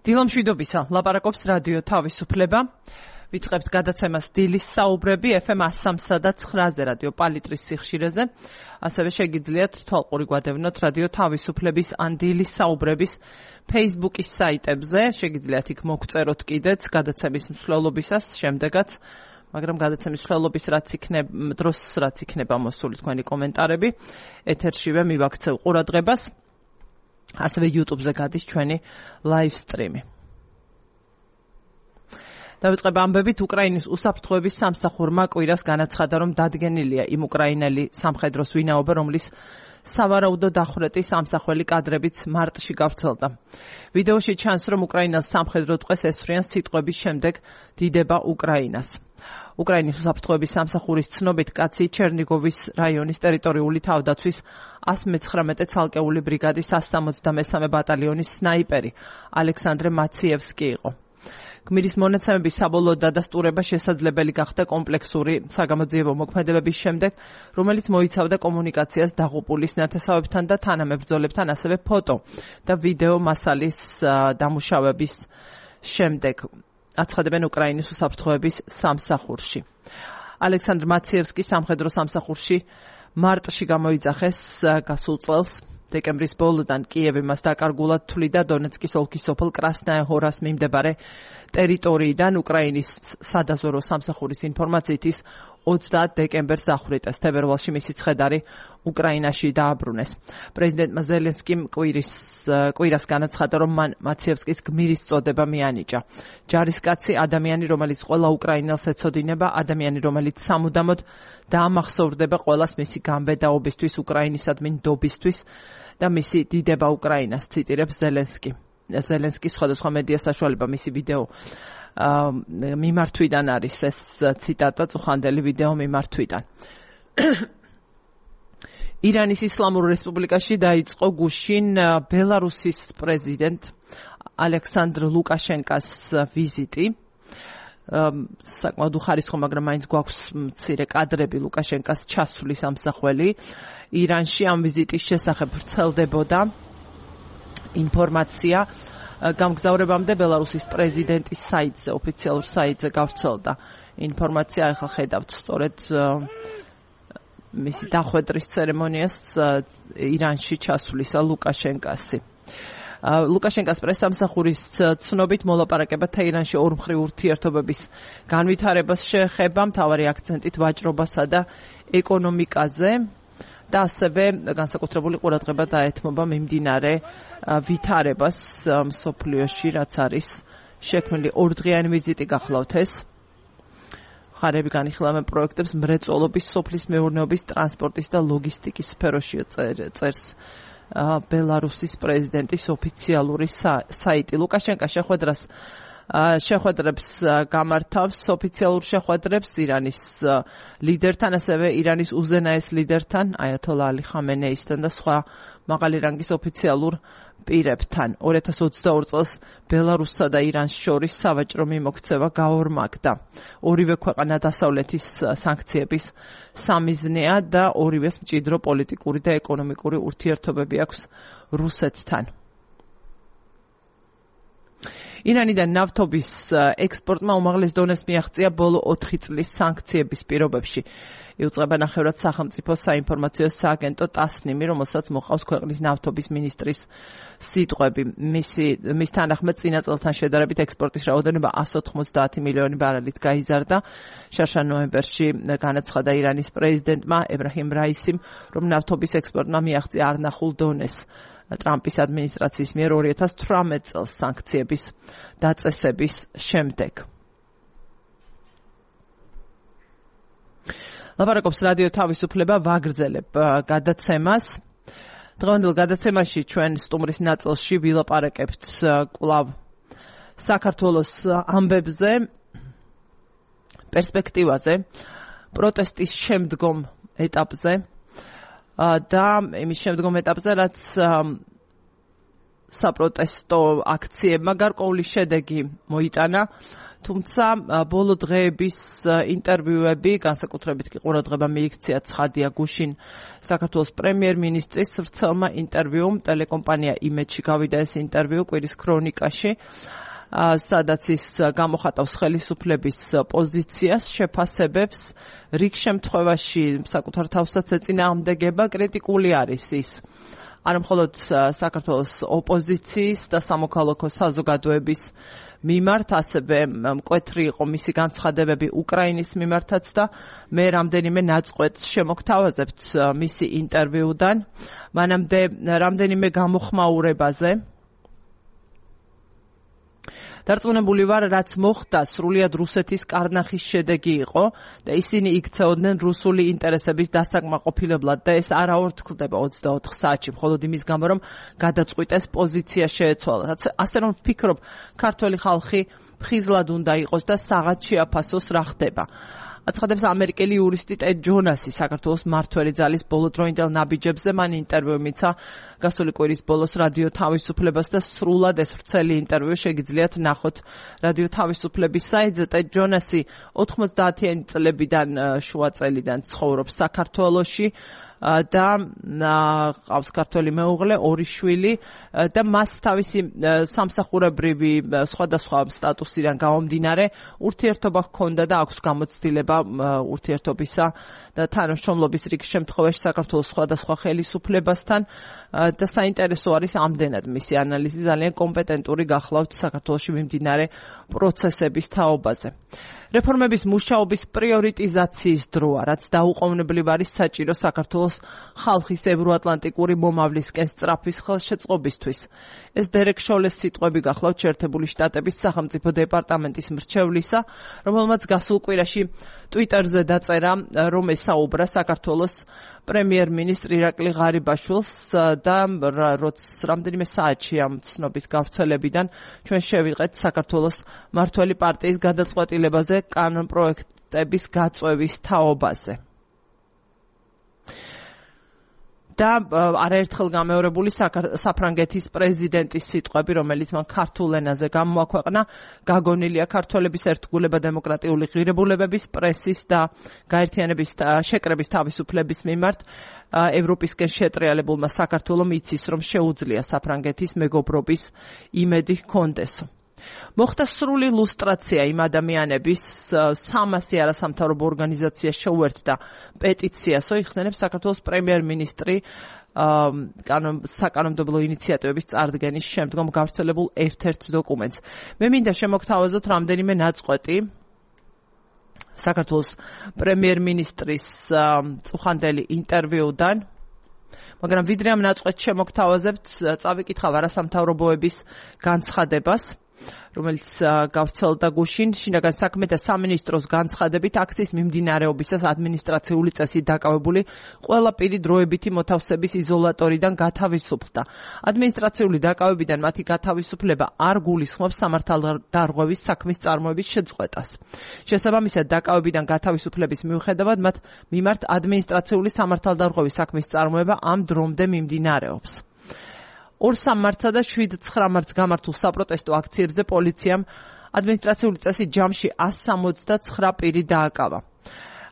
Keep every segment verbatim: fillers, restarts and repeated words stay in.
დილომშვიდობისა, ლაპარაკობს რადიო თავისუფლება. ვიწყებთ გადაცემას დილის საუბრები ეფ ემ one oh three და nine-ზე რადიო პალიტრის სიხშირეზე. ასევე შეგიძლიათ თვალყური გვადევნოთ რადიო თავისუფლების ან დილის საუბრების Facebook-ის საიტებზე. შეგიძლიათ იქ მოგწეროთ კიდეც გადაცემის მსვლელობისას, შემდეგაც, მაგრამ გადაცემის მსვლელობის რაც იქნება, დროს რაც იქნება მოსული თქვენი კომენტარები, ეთერშივე მივაქცევ ყურადღებას. ასევე YouTube-ზე გადის ჩვენი live stream-ი. დავიწყებ ამბებით, უკრაინის უსაფრთხოების სამსახურმა კვირას განაცხადა, რომ დადგენილია იმ უკრაინელი სამხედროს ვინაობა, რომლის სავარაუდო დახვრეტი სამსახველი კადრებიც მარტში გავრცელდა. ვიდეოში ჩანს, რომ უკრაინელს სამხედრო ტყვეს ესვრიან სიტყვების შემდეგ დიდება უკრაინას. უკრაინის უსაფრთხოების სამსახურის ცნობით, კაცი ჩერნიგოვის რაიონის ტერიტორიული თავდაცვის one nineteen ცალკეული ბრიგადის one sixty-three ბატალიონის სნაიპერი ალექსანდრე მაციევსკი იყო. გმირის მონაცემების საბოლოო დადასტურება შესაძლებელი გახდა კომპლექსური საგამოძიებო მოქმედებების შემდეგ, რომელიც მოიცავდა კომუნიკაციას დაღუპულის ნათესავებთან და თანამებრძოლებთან, ასევე ფოტო და ვიდეო მასალის დამუშავების შემდეგ. აცხადებენ უკრაინის უსაფრთხოების სამსახურში. ალექსანდრ მაციევსკი სამხედრო სამსახურში მარტში გამოიძახეს გასულ წელს. დეკემბრის ბოლოდან კიევი მას დაკარგულად თვლიდა დონეცკის ოლქის სოფელ კრასნაია-ჰორას მიმდებარე ტერიტორიიდან. უკრაინის სადაზვერო სამსახურის ინფორმაციით ის ოცდაათ დეკემბერს დახვრიტეს. თებერვალში მისი ცხედარი უკრაინაში დააბრუნეს. პრეზიდენტმა ზელენსკიმ კვირის კვირას განაცხადა, რომ მან მაციევსკის გმირის წოდება მიანიჭა. ჯარისკაცი ადამიანი, რომელიც ყველა უკრაინელს ეცოდინება, ადამიანი, რომელიც სამუდამოდ დაამახსოვრდება ყველას მისი გამბედაობისთვის, უკრაინისადმი ნდობისთვის და მისი დიდება უკრაინას, ციტირებს ზელენსკი. ზელენსკის სხვადასხვა მედია საშუალება მისი ვიდეო მიმართვიდან არის ეს ციტატა, წუხანდელი ვიდეო მიმართვიდან. ირანის ისლამურ რესპუბლიკაში დაიწყო გუშინ ბელარუსის პრეზიდენტ ალექსანდრ ლუკაშენკას ვიზიტი. საკმაოდ უხარისხო, მაგრამ მაინც გვაქვს მცირე კადრები ლუკაშენკას ჩასვლის ამსახველი. ირანში ამ ვიზიტის შესახებ ვრცელდებოდა ინფორმაცია. გამგზავრებამდე ბელარუსის პრეზიდენტის საიტზე, ოფიციალურ საიტზე გავრცელდა ინფორმაცია. ახლა ხედავთ სწორედ მისი დახვედრის ცერემონიას ირანში ჩასვლისა ლუკაშენკასი. ლუკაშენკას პრესამსახურის ცნობით მოლაპარაკებათა ირანში ორმხრივ ურთიერთობების განვითარებას შეეხება, მთავარი აქცენტით ვაჭრობასა და ეკონომიკაზე და ასევე განსაკუთრებული ყურადღება დაეთმობა მიმდინარე ვითარებას მსოფლიოში, რაც არის შექმნილი ორდღიანი ვიზიტი გახლავთ ეს. ხარები განიხილავენ პროექტებს მრეწველობის, სოფლის მეურნეობის, ტრანსპორტის და ლოგისტიკის სფეროში წერს ბელარუსის პრეზიდენტის ოფიციალური საიტი. ლუკაშენკა შეხვედრას შეხვედრებს გამართავს, ოფიციალურ შეხვედრებს ირანის ლიდერთან, ასევე ირანის უზენაეს ლიდერთან, აიათოლა ალი ხამენეისთან და სხვა მაღალი რანგის ოფიციალურ პირებთან. two thousand twenty-two წელს ბელარუსსა და ირანს შორის სავაჭრო მიმოქცევა გაორმაგდა. ორივე ქვეყანა დასავლეთის სანქციების სამიზნეა და ორივეს მჭიდრო პოლიტიკური და ეკონომიკური ურთიერთობები აქვს რუსეთთან. ირანიდან ნავთობის ექსპორტმა უმაღლეს დონეს მიაღწია ბოლო ოთხი წლის სანქციების პირობებში. იუწყება ნახევრად სახელმწიფო საინფორმაციო სააგენტო ტასნიმი, რომელსაც მოყავს ქვეყნის ნავთობის მინისტრის სიტყვები. მისი მის თანახმად წინა წელთან შედარებით ექსპორტის რაოდენობა one hundred ninety მილიონი ბარელით გაიზარდა. შარშა ნოემბერში განაცხადა ირანის პრეზიდენტმა ებრაჰიმ რაისიმ, რომ ნავთობის ექსპორტმა მიაღწია არნახულ დონეს. ტრამპის ადმინისტრაციის მიერ two thousand eighteen წელს სანქციების დაწესების შემდეგ. ლაპარაკობს რადიო თავისუფლება, ვაგრძელებ გადაცემას. დღევანდელ გადაცემაში ჩვენ სტუმრის ნაწილში ვილაპარაკებთ კვლავ საქართველოს ამბებზე, პერსპექტივაზე, პროტესტის შემდგომ ეტაპზე და იმის შემდგომ ეტაპზე, რაც საპროტესტო აქციებმა გარკვეული შედეგი მოიტანა, თუმცა ბოლო დღეების ინტერვიუები, განსაკუთრებით კი ყურადღება მიიქცია ცხადია გუშინ საქართველოს პრემიერ-მინისტრის ვრცელმა ინტერვიუმ, ტელეკომპანია იმედში გავიდა ეს ინტერვიუ კვირის ქრონიკაში, სადაც ის გამოხატავს ხელისუფლების პოზიციას, შეფასებებს, რიგ შემთხვევაში საკუთარ თავსაც ეწინააღმდეგება, კრიტიკული არის ის. არ მხოლოდ საქართველოს ოპოზიციის და სამოქალაქო საზოგადოების მიმართ, ასევე მკვეთრი იყო მისი განცხადებები უკრაინის მიმართაც და მე რამდენიმე ნაწყვეტს შემოგთავაზებთ მისი ინტერვიუდან. მანამდე რამდენიმე გამოხმაურებაზე. დარწმუნებული ვარ, რაც მოხდა, სრულიად რუსეთის კარნახის შედეგი იყო და ისინი იქცეოდნენ რუსული ინტერესების დასაკმაყოფილებლად და ეს არაორ თქლდება ოცდაოთხ საათში, მხოლოდ იმის გამო, რომ გადაწყვიტეს პოზიცია შეეცვალათ. ასე რომ ვფიქრობ, ქართველი ხალხი ფხიზლად უნდა იყოს და საღად შეაფასოს რა ხდება. აცხადებს ამერიკელი იურისტი ტედ ჯონასი საქართველოს მმართველი ძალის ბოლოდროინდელ ნაბიჯებზე, მან ინტერვიუ მიცა გასული კვირის ბოლოს რადიო თავისუფლებას და სრულად ეს ვრცელი ინტერვიუ შეგიძლიათ ნახოთ რადიო თავისუფლების საიტზე. ტედ ჯონასი ოთხმოცდაათიანი წლებიდან შუა წელიდან ცხოვრობს საქართველოში და ყავს ქართველი მეუღლე, ორი შვილი და მას თავისი სამსახურებრივი სხვადასხვა სტატუსიდან გამომდინარე ურთიერთობა ჰქონდა და აქვს გამოცდილება ურთიერთობისა და თანამშრომლობის რიგ შემთხვევაში საქართველოს სხვადასხვა ხელისუფლებასთან და საინტერესო არის ამდენად მისი ანალიზი, ძალიან კომპეტენტური გახლავთ საქართველოში მიმდინარე პროცესების თაობაზე. რეფორმების მუშაობის პრიორიტიზაციის დროა, რაც დაუყოვნებლივ არის საჭირო საქართველოს ხალხის ევროატლანტიკური მომავლისკენ სწრაფის ხელშეწყობისთვის. ეს დერეკ შოლეს სიტყვები გახლავთ შეერთებული შტატების სახელმწიფო დეპარტამენტის მრჩევლისა, რომელმაც გასულ კვირაში ტვიტერზე დაწერა, რომ ესაუბრა საქართველოს პრემიერ-მინისტრ ირაკლი ღარიბაშვილს და როც რამდენიმე საათში ამ ცნობის გავრცელებიდან ჩვენ შევიღეთ საქართველოს მმართველი პარტიის გადაწყვეტილებაზე კანონპროექტების გაწვევის თაობაზე. და არაერთხელ გამეორებული საფრანგეთის პრეზიდენტის სიტყვები, რომელიც მან ქართულ ენაზე გამოაქვეყნა, გაგონილია ქართველების ერთგულება დემოკრატიული ღირებულებების, პრესის და გაერთიანების შეკრების თავისუფლების მიმართ ევროპისკენ შეტრიალებულმა საქართველომ იცის, რომ შეუძლია საფრანგეთის მეგობრობის იმედი ჰქონდესო. მოხდა სრული ლუსტრაცია იმ ადამიანების სამასი არასამთავრობო ორგანიზაცია შეუერთდა პეტიციასო იხსენებს საქართველოს პრემიერ-მინისტრი საკანონმდებლო ინიციატივების წარდგენის შემდგომ გავრცელებულ ერთ-ერთ დოკუმენტს. მე მინდა შემოგთავაზოთ რამდენიმე ნაწყვეტი საქართველოს პრემიერ-მინისტრის წუხანდელი ინტერვიუდან, მაგრამ ვიდრე ამ ნაწყვეტს შემოგთავაზებთ, წავიკითხავ არასამთავრობოების განცხადებას, რომელიც გავრცელდა გუშინ შინაგან საქმეთა სამინისტროს განცხადებით აქციის მიმდინარეობისას ადმინისტრაციული წესით დაკავებული ყველა პირი დროებითი მოთავსების იზოლატორიდან გათავისუფლდა. ადმინისტრაციული დაკავებიდან მათი გათავისუფლება არ გულისხმობს სამართალდარღვევის საქმის წარმოების შეწყვეტას. შესაბამისად, დაკავებიდან გათავისუფლების მიუხედავად მათ მიმართ ადმინისტრაციული სამართალდარღვევის საქმის წარმოება ამ დრომდე მიმდინარეობს. ორ-სამ მარტსა და შვიდ-ცხრა მარტს გამართულ საპროტესტო აქციებზე პოლიციამ ადმინისტრაციული წესით ჯამში ასი სამოცდაცხრა პირი დააკავა.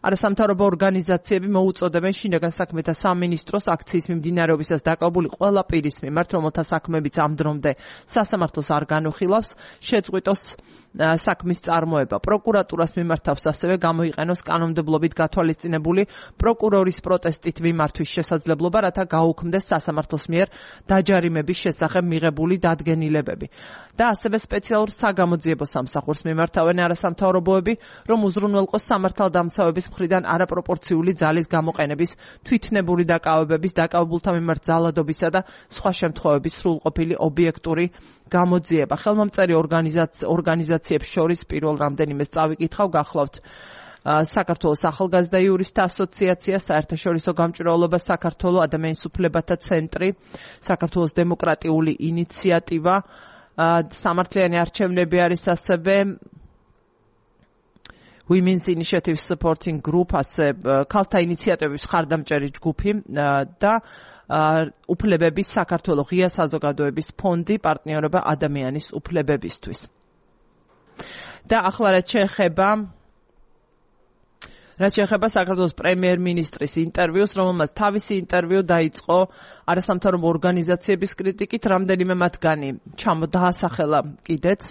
არასამთავრობო ორგანიზაციები მოუწოდებენ შინაგან საქმეთა სამინისტროს აქციის მიმდინარეობისას დაკავებული ყველა პირის მიმართ, რომელთა საქმეებიც ამ დრომდე სასამართლოს არ განუხილავს, შეწყვიტოს საქმის წარმოება. პროკურატურას მიმართავს ასევე გამოიყენოს კანონმდებლობით გათვალისწინებული პროკურორის პროტესტით მიმართვის შესაძლებლობა, რათა გაუქმდეს სასამართლოს მიერ დაჯარიმების შესახებ მიღებული დადგენილებები. და ასევე სპეციალურ საგამოძიებო სამსახურს მიმართავენ არასამთავრობოები, რომ უზრუნველყოს სამართალდამცავების მხრიდან არაპროპორციული ძალის გამოყენების, თვითნებური დაკავებების, დაკავებულთა მიმართ ძალადობისა და სხვა შემთხვევების სრულყოფილი ობიექტური გამოძიება. ხელმომწერი ორგანიზაციებს შორის პირველ რამდენიმეს წავიკითხავ, გახლავთ საქართველოს ახალგაზრდა იურისტთა ასოციაცია, საერთაშორისო გამჭვირვალობა საქართველოს ადამიანის უფლებათა ცენტრი, საქართველოს დემოკრატიული ინიციატივა, სამართლიანი არჩევნები არის ასევე Women's Initiative Supporting Group, ასე ქალთა ინიციატივების მხარდამჭერი ჯგუფი და უფლებების საქართველოს ღია საზოგადოების ფონდი პარტნიორობა ადამიანის უფლებებისთვის. და ახლა რაც შეეხება რაც შეეხება საქართველოს პრემიერ-მინისტრის ინტერვიუს, რომელმაც თავისი ინტერვიუ დაიწყო არასამთავრობო ორგანიზაციების კრიტიკით, რამდენიმე მათგანი ჩამოდაასახელა კიდეც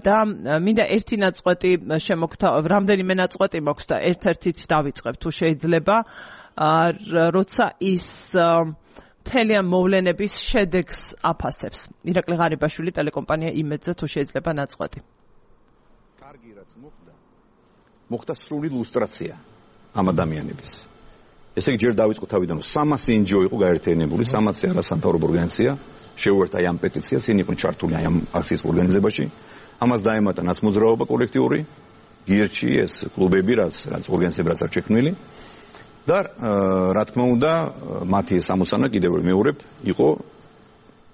და მინდა ერთი ნაწყვეტი შემოგთა რამდენიმე ნაწყვეტი მაქვს და ერთ-ერთით დავიწყებ თუ შეიძლება, როცა ის მთელი ამ მოვლენების შედეგს აფასებს. ირაკლი ღარიბაშვილი, ტელეკომპანია იმედზე, თუ შეიძლება ნაწყვეტი. კარგი რაც მოხდა, მოხდა სრული ლუსტრაცია ამ ადამიანების. ესე იგი ჯერ დავიწყო თავიდან, რომ სამასი ენჯიო იყო გაერთიანებული, სამასი არასამთავრობო ორგანიზაცია, შეუერთდა აი ამ პეტიციას, ისინი იყვნენ ჩართული აი ამ აქციის ორგანიზებაში. ამას დაემატა ნაცმოძრაობა კოლექტიური, გირჩი, ეს კლუბები, რაც რაც ორგანიზაციები რაც არ შექმნილი. და რა თქმა უნდა, მათი ეს ამოცანა კიდევ მეორებ იყო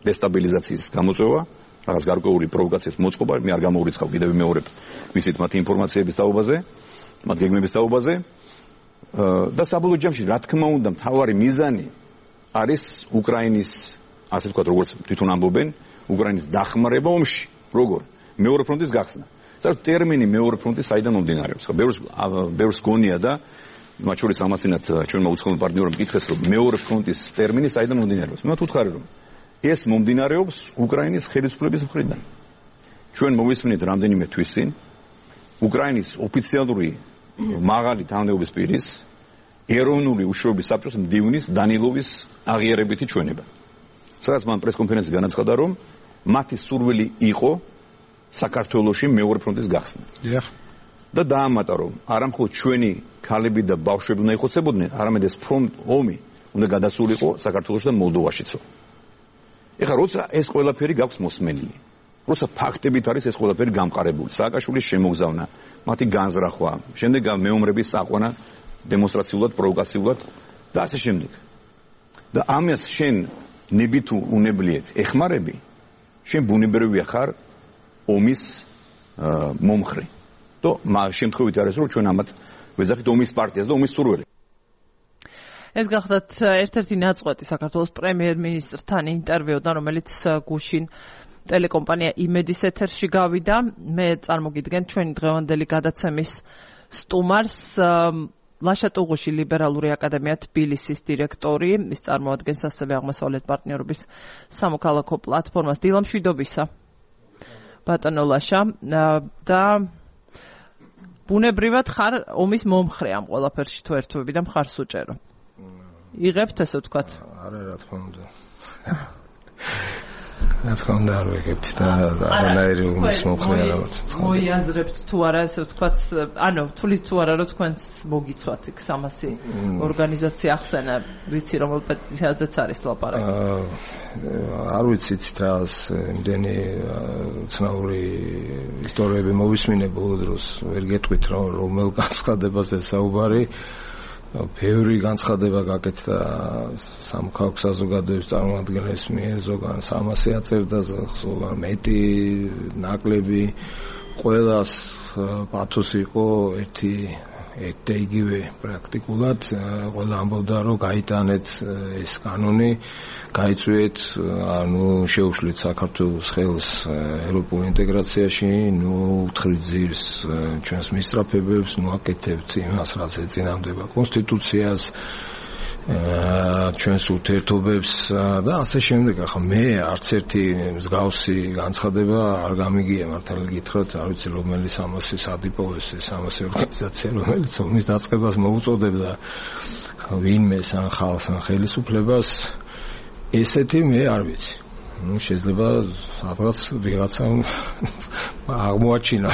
დესტაბილიზაციის გამოწვევა, რაღაც გარკვეული პროვოკაციის მოწყობა, მე არ გამოურიცხავ კიდევ მეორებ ვიცით მათი ინფორმაციების თაობაზე, მათ გეგმების თაობაზე. და საბოლოო ჯამში, რა თქმა უნდა, მთავარი მიზანი არის უკრაინის, ასე ვთქვათ, როგორც თვითონ ამბობენ, უკრაინის დახმარება ომში, როგორ მეორე ფრონტის გახსნა. საერთოდ ტერმინი მეორე ფრონტი საიდან მომდინარეობს? ხო, ბევრს ბევრს გონია და მათ შორის ამასინათ ჩვენმა უცხოელ პარტნიორებმა მკითხეს, რომ მეორე ფრონტის ტერმინი საიდან მომდინარეობს. მე ვთქვი, რომ ეს მომდინარეობს უკრაინის ხელისუფლების მხრიდან. ჩვენ მოვისმენთ რამდენიმე თვის წინ უკრაინის ოფიციალური მაღალი თანამდებობის პირის ეროვნული უშუალობის საბჭოს მდივნის დანილოვის აღიარებითი ჩვენება. სადაც მან პრესკონფერენციაში განაცხადა, რომ მათი სურვილი იყო საქართველოში მეორე ფრონტის გახსნა. დიახ. და დაამატა, რომ არა მხოლოდ ჩვენი ქალები და ბავშვები უნდა იხოცებოდნენ, არამედ ეს ფრონტ ომი უნდა გადასულიყო საქართველოში და მოლდოვაშიცო. ეხლა როცა ეს ყველაფერი გაქვს მოსმენილი, როცა ფაქტებით არის ეს ყველაფერი გამყარებული, სააკაშვილის შემოგზავნა, მათი განზრახვა, შემდეგ მეომრების საყვანა დემონსტრაციულად, პროვოკაციულად და ასე შემდეგ. და ამას შენ ნებით უნებლიეთ ეხმარები, შენ ბუნებრივია ხარ ომის მომხრე. და შემთხვევით არის რომ ჩვენ ამათ ვეძახით ომის პარტიას და ომის სურველი. ეს გახლავთ ერთ-ერთი ნაწყვეტი საქართველოს პრემიერ-მინისტრთან ინტერვიუდან, რომელიც გუშინ ტელეკომპანია იმედის ეთერში გავიდა. მე წარმოგიდგენ ჩვენი დღევანდელი გადაცემის სტუმარს, ლაშა ტუღუში ლიბერალური აკადემია თბილისის დირექტორი, ის წარმოადგენს ასევე აღმოსავლეთ პარტნიორობის სამოქალაქო პლატფორმას. დილა მშვიდობისა, ბატონო ლაშა. და ბუნებრივად ხარ ომის მომხრე ამ ყველაფერში თუ ერთვები და მხარს უჭერო. იღებთ ესე ვთქვათ? არა, რა თქმა უნდა. რა თქმა უნდა არ ვიღებთ და არანაირი ომის მომხრე არ ვარ. მოიაზრებთ თუ არა ესე ვთქვათ, ანუ თulit თუ არა რომ თქვენს მოგიცვათ იქ სამასი ორგანიზაცია ახსენა, ვიცი რომელ პეტიციაზეც არის ლაპარაკი. არ ვიცით რას იმდენი ცნაური ისტორიები მოვისმინე ბოლო დროს, ვერ გეტყვით რომ რომელ განცხადებაზე საუბარი. ბევრი განცხადება გაკეთდა სამოქალაქო საზოგადოების წარმომადგენლებს მიერ, ზოგან სამასი აწერდა, ზოგან მეტი, ნაკლები, ყველას პათოსი იყო ერთი ერთ იგივე პრაქტიკულად, ყველა ამბობდა რომ გაიტანეთ ეს კანონი, გაიწვიეთ, ანუ შეუშლით საქართველოს ხელს ევროპულ ინტეგრაციაში, ნუ უთხრით ძირს ჩვენს მისწრაფებებს, ნუ აკეთებთ იმას, რაც ეწინააღმდება კონსტიტუციას, ჩვენს ურთიერთობებს და ასე შემდეგ. ახლა მე არც ერთი მსგავსი განცხადება არ გამიგია, მართალი გითხრათ, არ ვიცი რომელი სამასი სადიპოვეს, სამასი ორგანიზაცია, რომელიც ომის დაწყებას მოუწოდებდა ვინმეს ან ხალხს ან ხელისუფლებას. ესეთი მე არ ვიცი. ნუ შეიძლება სადღაც ვიღაცამ აღმოაჩინა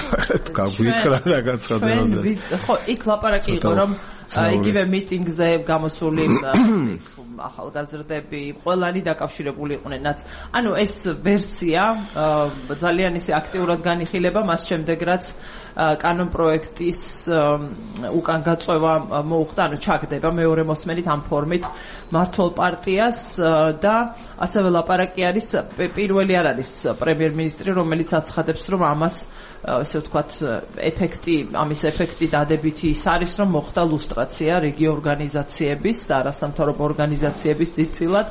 გაგვითხრა რა განცხადებაზე. ხო, იქ ლაპარაკი იყო რომ იგივე მიტინგზე გამოსული ახალგაზრდები ყველანი დაკავშირებული იყვნენ. ანუ ეს ვერსია ძალიან ისე აქტიურად განიხილება მას შემდეგ რაც კანონ პროექტის უკან გაწევა მოუხდა, ანუ ჩაგდება მეორე მოსმენით ამ ფორმით მართლ პარტიას და ასევე ლაპარაკი არის, პირველი არ არის პრემიერ-მინისტრი, რომელიც აცხადებს, რომ ამ ამას ესე ვთქვათ ეფექტი ამის ეფექტი დადებითი ის არის რომ მოხდა ლუსტრაცია რიგი ორგანიზაციების და არასამთავრობო ორგანიზაციების დიდწილად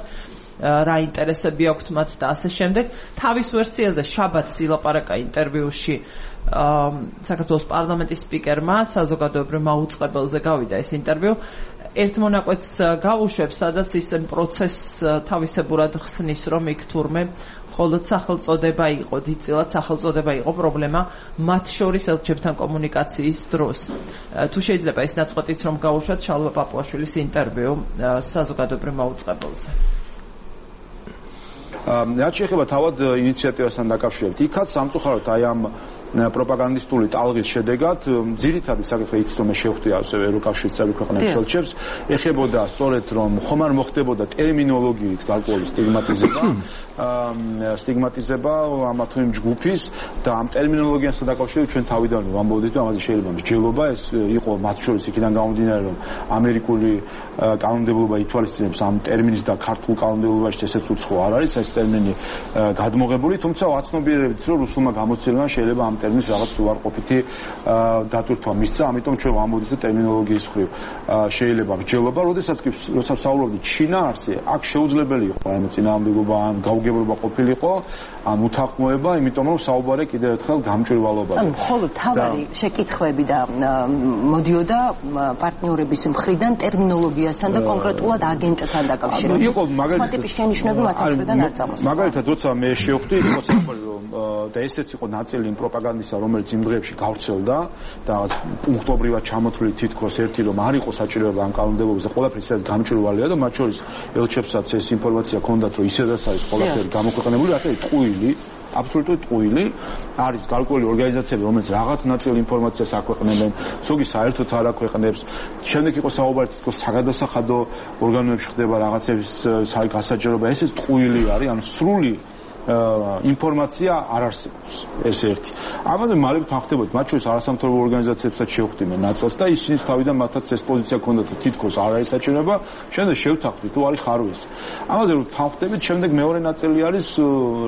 რა ინტერესები აქვთ მათ და ასე შემდეგ თავის ვერსიაზე შაბათს ილაპარაკა ინტერვიუში საქართველოს პარლამენტის სპიკერმა საზოგადოებრივ მაუწყებელზე გავიდა ეს ინტერვიუ ერთ მონაკვეთს გავუშვებ სადაც ის პროცესს თავისებურად ხსნის რომ იქ თურმე მხოლოდ სახელწოდება იყო დიდწილად სახელწოდება იყო პრობლემა მათ შორის ელჩებთან კომუნიკაციის დროს თუ შეიძლება ეს ნაწყვეტიც რომ გავუშვათ შალვა პაპუაშვილის ინტერვიუ საზოგადოებრივ მაუწყებელზე რაც შეეხება თავად ინიციატივასთან დაკავშირებით იქაც სამწუხაროდ აი ამ პროპაგანდისტული ტალღის შედეგად ძირითადი საკითხი იცით რომ შევხვდი ასევე ევროკავშირის წევრი ქვეყნების ელჩებს ეხებოდა სწორედ რომ ხომ არ მოხდებოდა ტერმინოლოგიით გარკვეული სტიგმატიზება სტიგმატიზება ამა თუ იმ ჯგუფის და ამ ტერმინოლოგიასთან დაკავშირებით ჩვენ თავიდან ვამბობდით რომ ამაზე შეიძლება მსჯელობა ეს იყო მათ შორის იქიდან გამომდინარე რომ ამერიკული კანონმდებლობა ითვალისწინებს ამ ტერმინის და ქართულ კანონმდებლობაში ესეც უცხო არ არის ეს ტერმინი გადმოღებული თუმცა ვაცნობიერებით რომ რუსულმა გამოცდილებამ შეიძლება ამ ტერმინს რაღაც უარყოფითი დატვირთვა მისცა ამიტომ ჩვენ ვამბობთ რომ ტერმინოლოგიის მხრივ შეიძლება მსჯელობა როდესაც კი როცა ვსაუბრობთ შინაარსზე აქ შეუძლებელი იყო რაიმე წინააღმდეგობა ან გაუგებრობა ყოფილიყო ან უთანხმოება იმიტომ რომ საუბარი კიდევ ერთხელ გამჭვირვალობაზე ანუ მხოლოდ თავარი შეკითხვები და მოდიოდა პარტნიორების მხრიდან ტერმინოლოგიასთან და კონკრეტულად აგენტთან დაკავშირებით იყო მაგალითად ტიპის შენიშვნები მათ მხრიდან არ წამოსულა მაგალითად როცა მე შევხვდი იყო საუბარი რომ და ესეც იყო ნაწილი იმ პროპაგანდისა რომელიც იმ დღეებში გავრცელდა და პუნქტობრივად ჩამოთვლილი თითქოს ერთი რომ არ იყო საჭიროება ამ კანონმდებლობაზე ყველაფერი ისედაც გამჭვირვალეა და მათ შორის ელჩებსაც ეს ინფორმაცია ჰქონდათ რომ ისედაც არის ყველაფერი გამოქვეყნებული რაც არის ტყუილი აბსოლუტურად ტყუილი არის გარკვეული ორგანიზაციები რომელიც რაღაც ნაწილ ინფორმაციას აქვეყნებენ ზოგი საერთოდ არ აქვეყნებს შემდეგ იყო საუბარი თითქოს საგადასახადო ორგანოებში ხდება რაღაცების გასაჯაროება ესეც ტყუილი არის ანუ სრული ინფორმაცია არ არსებობს ეს ერთი. ამაზე მალე თანხდებოდი მათ შორის არასამთავრობო ორგანიზაციებსაც შევხვდი მე ნაწილს და ისინი თავიდან მათაც ეს პოზიცია ჰქონდათ თითქოს არ არის საჭიროება შემდეგ შევთანხმდი თუ არის ხარვეს. ამაზე რომ თანხდებით შემდეგ მეორე ნაწილი არის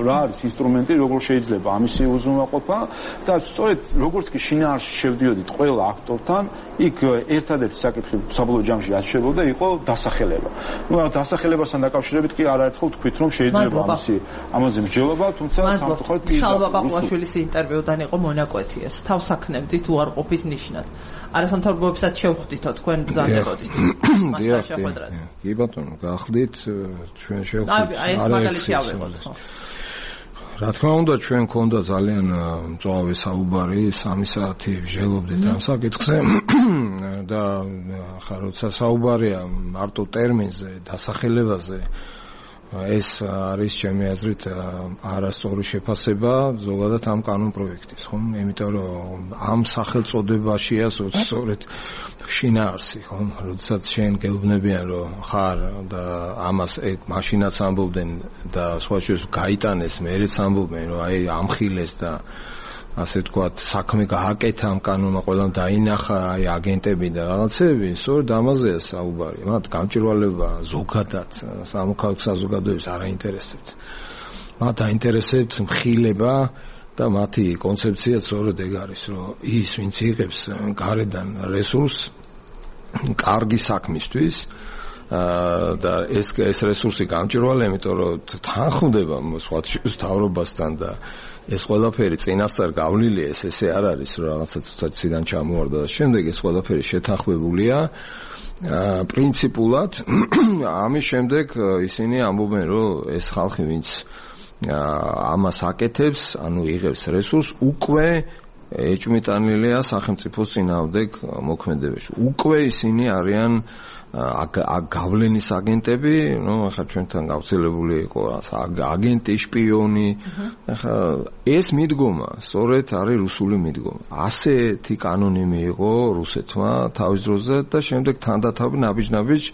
რა არის ინსტრუმენტი როგორ შეიძლება ამისი უზრუნველყოფა და სწორედ როგორც კი შინაარსში შევდიოდით ყველა აქტორთან იქ ერთადერთი საკითხი საბოლოო ჯამში რაც შეებოდა იყო დასახელება. ნუ დასახელებასთან დაკავშირებით კი არაერთხელ თქვით რომ შეიძლება ამისი ამაზე მსჯელობა, თუმცა სამწუხაროდ შალვა პაპუაშვილის ინტერვიუდან იყო მონაკვეთი ეს. თავს აქნებდით უარყოფის ნიშნად. არასამთავრობოებსაც შევხვდითო თქვენ ბრძანდებოდით. მასთან შეხვედრად. კი ბატონო, გახლდით ჩვენ შევხვდით. აი ეს მაგალითი ავიღოთ ხო? რა თქმა უნდა ჩვენ გქონდა ძალიან მწვავე საუბარი, სამი საათი ვჟელობდით ამ საკითხზე და ხა როცა საუბარია მარტო ტერმინზე, დასახელებაზე ეს არის ჩემი აზრით არასწორი შეფასება ზოგადად ამ კანონპროექტის, ხო? იმიტომ რომ ამ სახელწოდებაშია სწორედ შინაარსი, ხო? როდესაც შენ გეუბნებიან რომ ხარ და ამას ეგ მაშინაც ამბობდნენ და სხვა შორის გაიტანეს, მეერეც ამბობენ რომ აი ამხილეს და ასე თქვათ საქმე გააკეთა ამ კანონმა ყველამ დაინახა აი აგენტები და რაღაცები სწორედ ამაზეა საუბარი მათ გამჭვირვალება ზოგადად სამოქალაქო საზოგადოებას არ აინტერესებთ მათ აინტერესებთ მხილება და მათი კონცეფცია სწორედ ეგ არის რომ ის ვინც იღებს გარედან რესურსს კარგი საქმისთვის და ეს ეს რესურსი გამჭვირვალეა იმიტომ რომ თანხმდება სხვა თავრობასთან და ეს ყველაფერი წინასწარ გავლილია ეს ესე არ არის რომ რაღაცა ცოტა ციდან ჩამოვარდა და შემდეგ ეს ყველაფერი შეთანხმებულია პრინციპულად ამის შემდეგ ისინი ამბობენ რომ ეს ხალხი ვინც ამას აკეთებს ანუ იღებს რესურსს უკვე ეჭვმიტანილია სახელმწიფოს წინააღმდეგ მოქმედებაში უკვე ისინი არიან გავლენის აგენტები, ну, ახლა ჩვენთან გავრცელებული იყო აგენტი, შპიონი. ახლა ეს მიდგომა, სწორედ არის რუსული მიდგომა. ასეთი კანონი მიიღო რუსეთმა თავის დროზე და შემდეგ თანდათავი ნაბიჯ-ნაბიჯ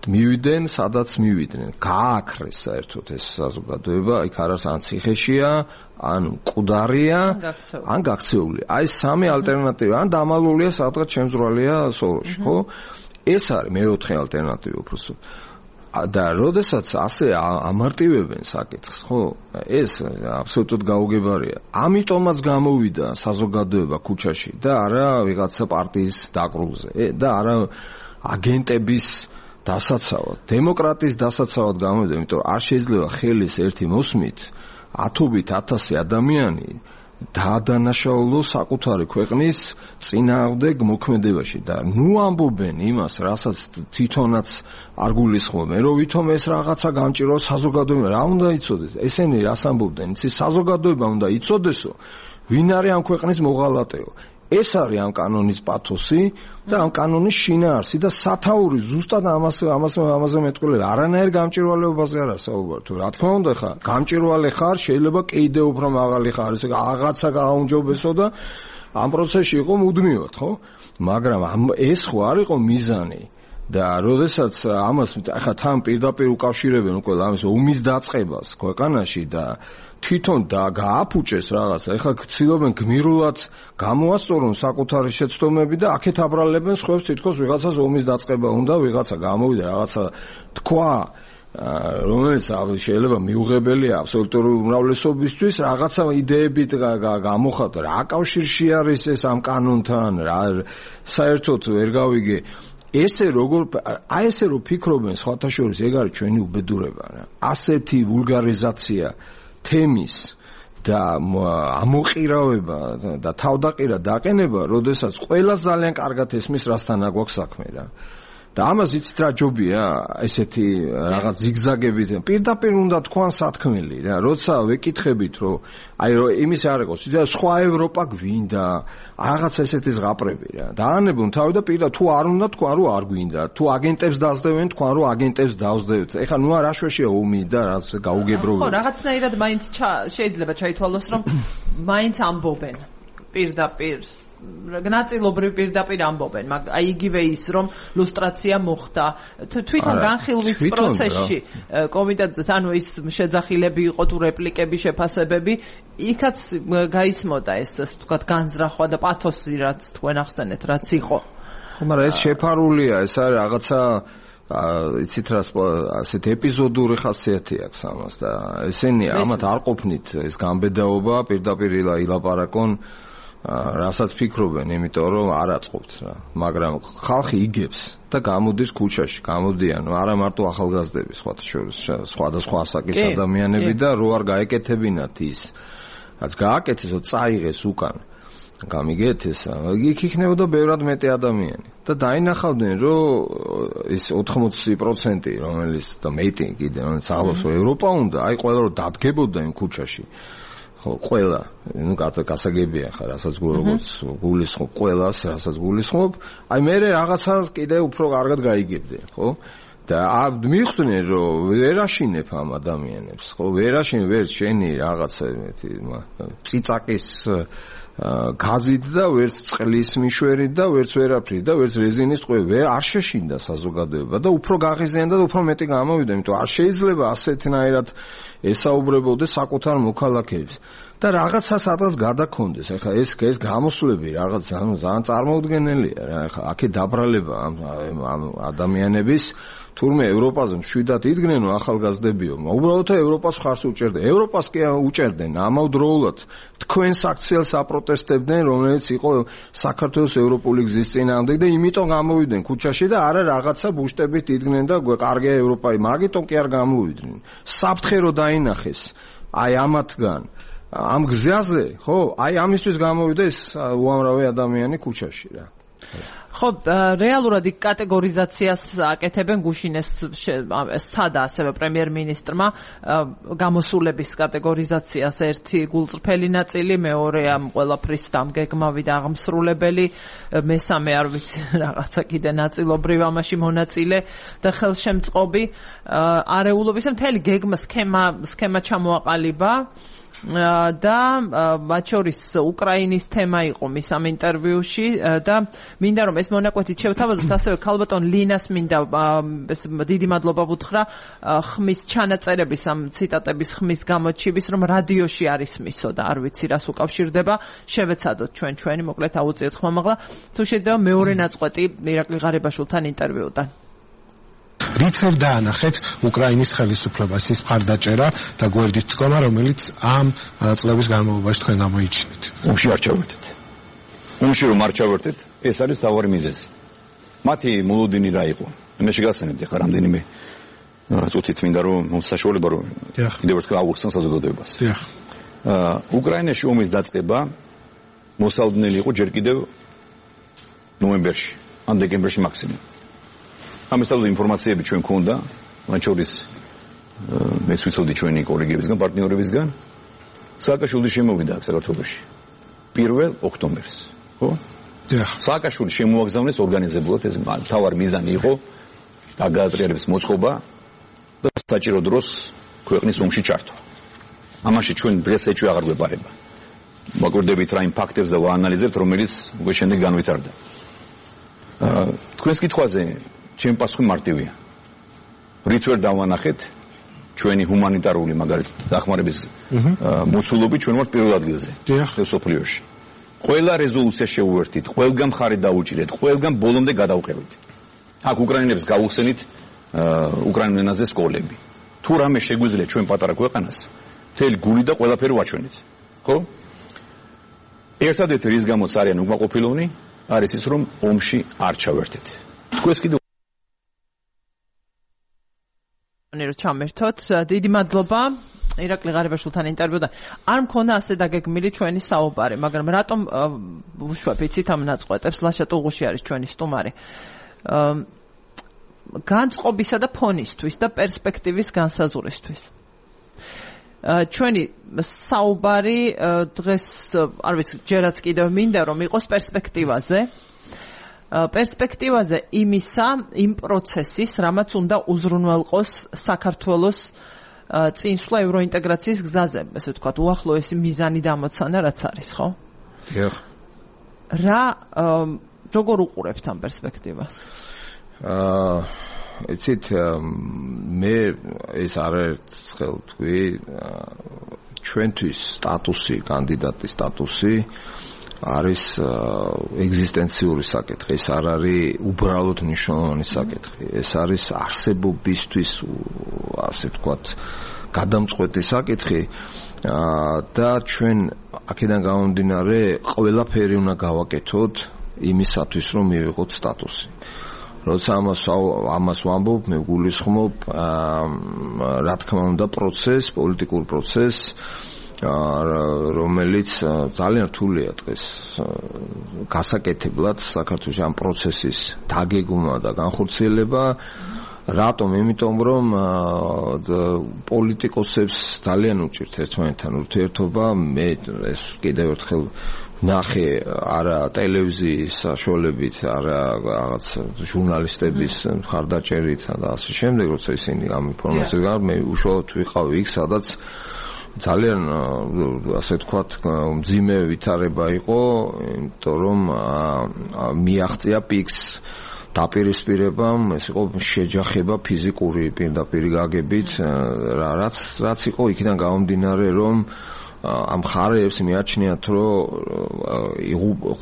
მივიდნენ, სადაც მივიდნენ. გააქრეს საერთოდ ეს საზოგადოება, იქ არის ან ციხეშია, ან მკვდარია, ან გაქცეული. აი სამი ალტერნატივა, ან დამალულია სადღაც შემძვრალია სოროში, ხო? ეს არის მეოთხე ალტერნატივა უბრალოდ. და როდესაც ასე ამარტივებენ საკითხს, ხო, ეს აბსოლუტურად გაუგებარია. ამიტომაც გამოვიდა საზოგადოება ქუჩაში და არა ვიღაცა პარტიის დაკრულზე და არა აგენტების დასაცავად, დემოკრატიის დასაცავად გამოვიდა, იმიტომ რომ არ შეიძლება ხელის ერთი მოსმით ათობით ათასი ადამიანი დაადანაშაულო საკუთარი ქვეყნის წინააღმდეგ მოქმედებაში და ნუ ამბობენ იმას, რასაც თვითონაც არ გულისხმობენ, რომ ვითომ ეს რაღაცა გამჭირვა საზოგადოება, რა უნდა იცოდეს? ესენი რას ამბობდნენ? იცი საზოგადოება უნდა იცოდესო, ვინ არის ამ ქვეყნის მოღალატეო. ეს არის ამ კანონის პათოსი და ამ კანონის შინაარსი და სათაური ზუსტად ამას ამას ამაზე მეტყველება. არანაირ გამჭირვალეობაზე არა საუბარი. თუ რა თქმა უნდა ხარ, გამჭირვალე ხარ, შეიძლება კიდე უფრო მაღალი ხარ, ესე რაღაცა გააუმჯობესო და ამ პროცესში იყო მუდმივად, ხო? მაგრამ ეს ხო არ იყო მიზანი. და როდესაც ამას ახლა თან პირდაპირ უკავშირებენ უკვე ამის ომის დაწყებას ქვეყანაში და თვითონ და გააფუჭეს რაღაცა. ეხლა ცდილობენ გმირულად გამოასწორონ საკუთარი შეცდომები და აქეთ აბრალებენ სხვებს თითქოს ვიღაცას ომის დაწყება უნდა, ვიღაცა გამოვიდა რაღაცა თქვა, რომელიც შეიძლება მიუღებელია აბსოლუტური უმრავლესობისთვის, რაღაცა იდეებით გამოხატვა. რა კავშირში არის ეს ამ კანონთან, რა საერთოდ ვერ გავიგე. ესე როგორ აი ესე რომ ფიქრობენ სხვათა შორის, ეგ არის ჩვენი უბედურება რა. ასეთი ვულგარიზაცია თემის და ამოყირავება და თავდაყირა დაყენება, როდესაც ყველა ძალიან კარგად ესმის რასთან აგვაქვს საქმე რა. და ამას იცით რა ჯობია ესეთი რაღაც ზიგზაგებით პირდაპირ უნდა თქვან სათქმელი რა, როცა ვეკითხებით რომ აი რომ იმის არ იყოს, სხვა ევროპა გვინდა რაღაც ესეთი ზღაპრები რა. დაანებონ თავი და პირდა თუ არ უნდა თქვა რომ არ გვინდა, თუ აგენტებს დაძდევენ თქვა რომ აგენტებს დავსდევთ. ეხლა ნუ არ აშვეშია ომი და რაც გაუგებროვება. ხო, რაღაცნაირად მაინც შეიძლება ჩაითვალოს რომ მაინც ამბობენ პირდაპირ ნაწილობრივ პირდაპირ ამბობენ, მაგრამ აი იგივე ის რომ ლუსტრაცია მოხდა თვითონ განხილვის პროცესში კომიტეტს, ანუ ის შეძახილები იყო თუ რეპლიკები, შეფასებები, იქაც გაისმოდა ეს თქვათ განზრახვა და პათოსი, რაც თქვენ ახსენეთ, რაც იყო. ხო, მაგრამ ეს შეფარულია, ეს არის რაღაცა იცით რა ასეთ ეპიზოდური ხასიათი აქვს ამას და ესენი ამათ არ ყოფნით ეს გამბედაობა პირდაპირ ილაპარაკონ რასაც ფიქრობენ, იმიტომ რომ არ აწყობთ რა. მაგრამ ხალხი იგებს და გამოდის ქუჩაში, გამოდიან, არა მარტო ახალგაზრდები, სხვათა შორის, სხვადასხვა ასაკის ადამიანები და რო არ გაეკეთებინათ ის, რაც გააკეთეს, წაიღეს უკან. გამიგეთ ეს, იქ იქნებოდა ბევრად მეტი ადამიანი და დაინახავდნენ, რომ ეს ოთხმოცი პროცენტი, რომელიც და მეტი კიდე, რომელიც აღავს ევროპა უნდა, აი ყველა რომ დადგებოდა იმ ქუჩაში. ყველა, ну გასაგებია ხარ, რასაც როგორც გულისხმობ, ყველას, რასაც გულისხმობ, აი მე რაღაცა კიდე უფრო კარგად გაიგებდნენ, ხო? და მივხვდნენ, რომ ვერ აშინებ ამ ადამიანებს, ხო? ვერ აშინებ, ვერ შენი რაღაცა მეტი ციცაკის გაზით და ვერც წყლის მიშვერით და ვერც ვერაფრით და ვერც რეზინის ტყვე ვერ არ შეშინდა საზოგადოება და უფრო გაღიზიანდა და უფრო მეტი გამოვიდა, იმიტომ არ შეიძლება ასეთნაირად ესაუბრებოდეს საკუთარ მოქალაქეებს და რაღაცა სადღაც გადაქონდეს. ეხლა ეს ეს გამოსვლები რაღაც ძალიან წარმოუდგენელია რა. ეხლა აქეთ დაბრალება ამ ადამიანების თურმე ევროპაზე მშვიდად იდგნენო ახალგაზრდებიო, უბრალოდ ევროპას ხარს უჭერდნენ. ევროპას კი უჭერდნენ ამავდროულად თქვენს აქციელს აპროტესტებდნენ, რომელიც იყო საქართველოს ევროპული გზის წინააღმდეგ და იმიტომ გამოვიდნენ ქუჩაში და არა რაღაცა ბუშტებით იდგნენ და კარგია ევროპა, მაგიტომ კი არ გამოვიდნენ. საფრთხე რო დაინახეს აი ამათგან ამ გზაზე, ხო, აი ამისთვის გამოვიდა ეს უამრავი ადამიანი ქუჩაში რა. ხო, რეალურად იქ კატეგორიზაციას აკეთებენ, გუშინ ეს სცადა ასევე პრემიერ-მინისტრმა გამოსულების კატეგორიზაციას, ერთი გულწრფელი ნაწილი, მეორე ამ ყველაფრის დამგეგმავი და აღმსრულებელი, მესამე არ ვიცი რაღაცა კიდე ნაწილობრივ ამაში მონაწილე და ხელშემწყობი არეულობის მთელი გეგმა სქემა სქემა ჩამოაყალიბა. და მათ შორის უკრაინის თემა იყო მის ამ ინტერვიუში და მინდა რომ ეს მონაკვეთით შევთავაზოთ, ასევე ქალბატონ ლინას მინდა დიდი მადლობა ვუთხრა ხმის ჩანაწერების ამ ციტატების ხმის გამოჩივის, რომ რადიოში არის მისო და არ ვიცი რას უკავშირდება, შევეცადოთ ჩვენ ჩვენი მოკლედ აუწიოთ ხმამაღლა. თუ შეიძლება მეორე ნაწყვეტი ირაკლი ღარიბაშვილთან ინტერვიუდან. რით ვერ დაანახეთ უკრაინის ხელისუფლებას ის მხარდაჭერა და გვერდით დგომა, რომელიც ამ წლების განმავლობაში თქვენ გამოიჩინეთ. ომში არ ჩავერთეთ. ომში რომ არ ჩავერთეთ, ეს არის თავარი მიზეზი. მათი მოლოდინი რა იყო? მე შეგახსენებთ ახლა რამდენიმე წუთით მინდა რომ მოსაშუალება რომ კიდევ ერთხელ ავუხსნან საზოგადოებას. დიახ. უკრაინაში ომის დაწყება მოსალოდნელი იყო ჯერ კიდევ ნოემბერში, ან დეკემბერში მაქსიმუმ. ამის თავზე ინფორმაციები ჩვენ გვქონდა, მათ შორის მეც ვიცოდი ჩვენი კოლეგებისგან, პარტნიორებისგან. სააკაშვილის შემოვიდა აქ საქართველოში პირველ ოქტომბერს, ხო? დიახ. სააკაშვილი შემოაგზავნეს ორგანიზებულად, ეს მთავარი მიზანი იყო გაგაზრიელების მოწყობა და საჭირო დროს ქვეყნის ომში ჩართვა. ამაში ჩვენ დღეს ეჭვი აღარ გვეპარება. ვაკვირდებით რა იმ ფაქტებს და ვაანალიზებთ, რომელიც უკვე შემდეგ განვითარდა. თქვენს კითხვაზე ჩემი პასუხი მარტივია. რით ვერ დავანახეთ ჩვენი ჰუმანიტარული მაგალითად დახმარების მოცულობი ჩვენ ვართ პირველ ადგილზე. დიახ. სოფლიოში. ყველა რეზოლუცია შეუერთით, ყველგან მხარე დაუჭირეთ, ყველგან ბოლომდე გადავყევით. აქ უკრაინელებს გავუხსენით უკრაინულ ენაზე სკოლები. თუ რამე შეგვიძლია ჩვენ პატარა ქვეყანას, მთელი გული და ყველაფერი ვაჩვენით. ხო? ერთადერთი რის გამოც არიან უკმაყოფილონი, არის ის რომ ომში არ ჩავერთეთ. თქვენს კიდევ რომ ჩამერთოთ, დიდი მადლობა. ირაკლი ღარიბაშვილთან ინტერვიუდან არ მქონდა ასე დაგეგმილი ჩვენი საუბარი, მაგრამ რატომ ვუშვებიცით ამ ნაწყვეტებს? ლაშა ტუღუში არის ჩვენი სტუმარი. განწყობისა და ფონისთვის და პერსპექტივის განსაზღვრისთვის. ჩვენი საუბარი დღეს, არ ვიცი, ჯერაც კიდევ მინდა რომ იყოს პერსპექტივაზე. პერსპექტივაზე იმისა, იმ პროცესის, რამაც უნდა უზრუნველყოს საქართველოს წინსვლა ევროინტეგრაციის გზაზე, ესე ვთქვათ, უახლოესი მიზანი დამოცანა რაც არის, ხო? დიახ. რა როგორ უყურებთ ამ პერსპექტივას? აა, იცით, მე ეს არაერთხელ თქვი, ჩვენთვის სტატუსი, კანდიდატის სტატუსი არის ეგზისტენციური საკითხი, ეს არ არის უბრალოდ მნიშვნელოვანი საკითხი, ეს არის არსებობისთვის, ასე ვთქვათ, გადამწყვეტი საკითხი და ჩვენ აქედან გამომდინარე ყველაფერი უნდა გავაკეთოთ იმისათვის, რომ მივიღოთ სტატუსი. როცა ამას ამას ვამბობ, მე გულისხმობ, რა თქმა უნდა, პროცესს, პოლიტიკურ პროცესს, რომელიც ძალიან რთულია დღეს გასაკეთებლად საქართველოს ამ პროცესის დაგეგმვა და განხორციელება. რატომ? იმიტომ რომ პოლიტიკოსებს ძალიან უჭირთ ერთმანეთთან ურთიერთობა. მე ეს კიდევ ერთხელ ნახე არა ტელევიზიის საშუალებით, არა რაღაც ჟურნალისტების მხარდაჭერით და ასე შემდეგ, როცა ისინი ამ ინფორმაციას გარ, მე უშუალოდ ვიყავ იქ, სადაც ძალიან ასე ვთქვათ მძიმე ვითარება იყო, იმიტომ რომ მიაღწია პიკს დაპირისპირებამ, ეს იყო შეჯახება ფიზიკური პირდაპირ გაგებით, რაც რაც იყო იქიდან გამომდინარე, რომ ამ ხარებს მიაჩნიათ, რომ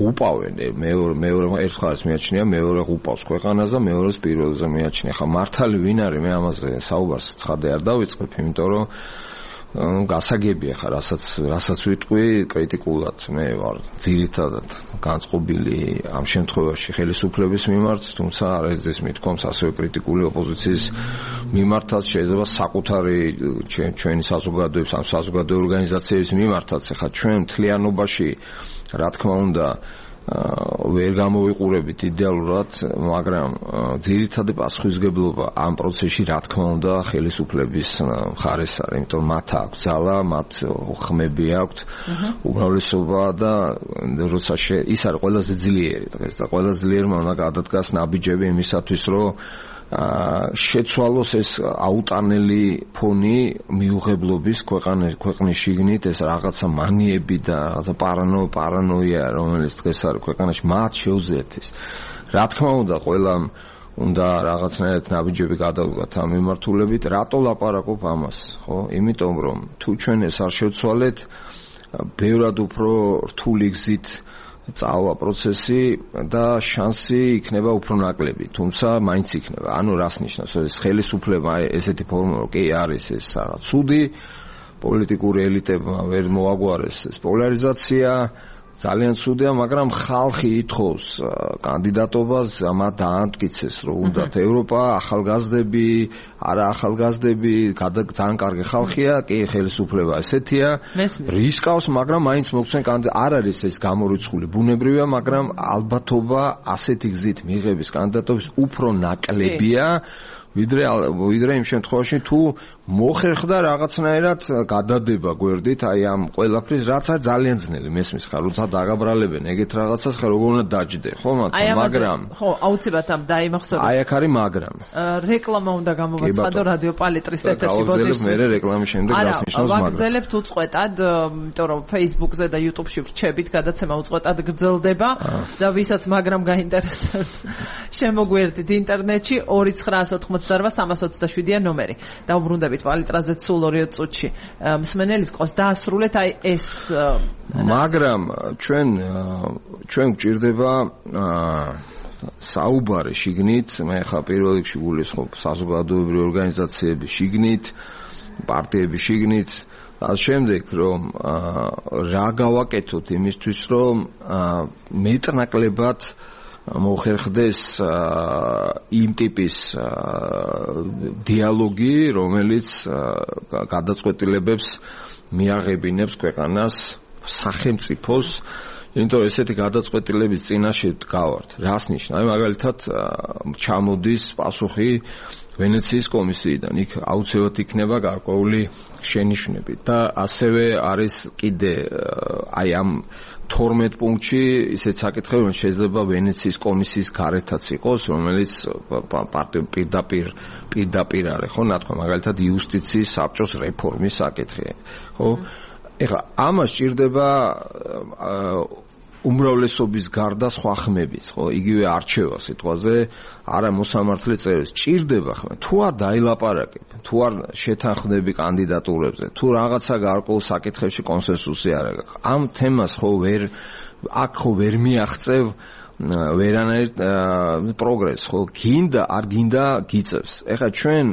ღუპავენ, მეორე მეორე ერთხელაც მიაჩნია, მეორე ღუპავს ქვეყანას და მეორეს პირველზე მიაჩნია. ხა მართალი ვინ არის? მე ამაზე საუბარს ცხადე არ დავიწყებ, იმიტომ რომ გასაგებია ხა, რასაც რასაც ვიტყვი კრიტიკულად, მე ვარ ძირითადად განწყობილი ამ შემთხვევაში ხელისუფლების მიმართ, თუმცა არაერთხელ მithkoms ასევე კრიტიკული ოპოზიციის მიმართაც, შეიძლება საკუთარი ჩვენი საზოგადოების, ამ საზოგადო ორგანიზაციების მიმართაც. ხა ჩვენ მთლიანობაში, რა თქმა უნდა, ვერ გამოვიყურებით იდეალურად, მაგრამ ძირითადი პასუხისმგებლობა ამ პროცესში, რა თქმა უნდა, ხელისუფლების მხარეს არის, იმიტომ რომ მათ აქვს ძალა, მათ ხმები აქვთ, უმრავლესობა და როცა ის არის ყველაზე ძლიერი დღეს და ყველაზე ძლიერმა უნდა გადადგას ნაბიჯები იმისათვის, რომ შეცვალოს ეს აუტანელი ფონი მიუღებლობის ქვეყნის შიგნით, ეს რაღაცა მანიები და რაღაცა პარანო პარანოია, რომელიც დღეს არის ქვეყანაში, მათ შეუძლიათ ის. რა თქმა უნდა, ყველამ უნდა რაღაცნაირად ნაბიჯები გადავდგათ ამ მიმართულებით. რატო ლაპარაკობ ამას? ხო? იმიტომ რომ თუ ჩვენ ეს არ შევცვალეთ, ბევრად უფრო რთული გზით წავა პროცესი და შანსი იქნება უფრო ნაკლები, თუმცა მაინც იქნება. ანუ რას ნიშნავს? ეს ხელისუფლება ესეთი ფორმა რო კი არის ეს რაღაც ცუდი პოლიტიკური ელიტებმა ვერ მოაგვარეს ეს პოლარიზაცია ძალიან ცუდია, მაგრამ ხალხი ითხოვს კანდიდატობას, ამათ დაამტკიცეს, რომ უნდათ ევროპა, ახალგაზრდები, არა ახალგაზრდები, ძალიან კარგი ხალხია, კი ხელისუფლება ესეთია, რისკავს, მაგრამ მაინც მოგცენ კანდიდატ არ არის ეს გამორიცხული ბუნებრივია, მაგრამ ალბათობა ასეთი გზით მიღების კანდიდატობის უფრო ნაკლებია, ვიდრე ვიდრე იმ შემთხვევაში თუ მოხერხდა რაღაცნაირად გადადება გვერდით აი ამ ყველაფრის რაც არის ძალიან ძნელი მესმის ხარ როცა დაგაბრალებენ ეგეთ რაღაცას ხარ როგორ უნდა დაჯდე ხო მაგრამ ხო აუცილებლად ამ დაიმახსოვრე აი აქ არის მაგრამ რეკლამა უნდა გამოვაცხადო რადიო პალიტრის ეთერში ბოდიშ მერე რეკლამის შემდეგ გასნიშნავს მაგრამ ვაგრძელებთ უწყვეტად იმიტომ რომ Facebook-ზე და YouTube-ში ვრჩებით გადაცემა უწყვეტად გრძელდება და ვისაც მაგრამ გაინტერესებს შემოგვერდით ინტერნეტში ორი ცხრაას ოთხმოცდაოთხ სამას ოცდაშვიდია ნომერი და უბრუნდებით პალიტრაზე სულ ორი წუთში მსმენელის ყოს დაასრულეთ აი ეს მაგრამ ჩვენ ჩვენ გვჭირდება საუბარი შიგნით მე ხა პირველ რიგში გულისხმობ საზოგადოებრივი ორგანიზაციების შიგნით პარტიების შიგნით და შემდეგ რომ რა გავაკეთოთ იმისთვის რომ მეტნაკლებად მოხერხდეს იმ ტიპის დიალოგი, რომელიც გადაწყვეტილებებს მიაღებინებს ქვეყანას, სახელმწიფოს, იმიტომ რომ ესეთი გადაწყვეტილების წინაშე დგავართ. რას ნიშნავს? მაგალითად, ჩამოდის პასუხი ვენეციის კომისიიდან, იქ აუცილებლად იქნება გარკვეული შენიშვნები და ასევე არის კიდე აი ამ თორმეტ პუნქტში ისეთ საკითხები რომ შეიძლება ვენეციის კომისიის გარეთაც იყოს რომელიც პარტიულ პირდაპირ პირდაპირ არის ხო ნათქვა მაგალითად იუსტიციის საბჭოს რეფორმის საკითხი ხო ეხლა ამას ჭირდება უმრავლესობის გარდა სხვა ხმებიც ხო იგივე არჩევა სიტყვაზე არა მოსამართლე წერილს ჭირდება ხმა თუ არ დაილაპარაკებ თუ არ შეთანხმდები კანდიდატურებზე თუ რაღაცა გარკვეულ საკითხებში კონსენსუსი არ აქვს ამ თემას ხო ვერ აქ ხო ვერ მიაღწევ ვერანაირ პროგრესს ხო გინდა არ გინდა გიწევს ეხლა ჩვენ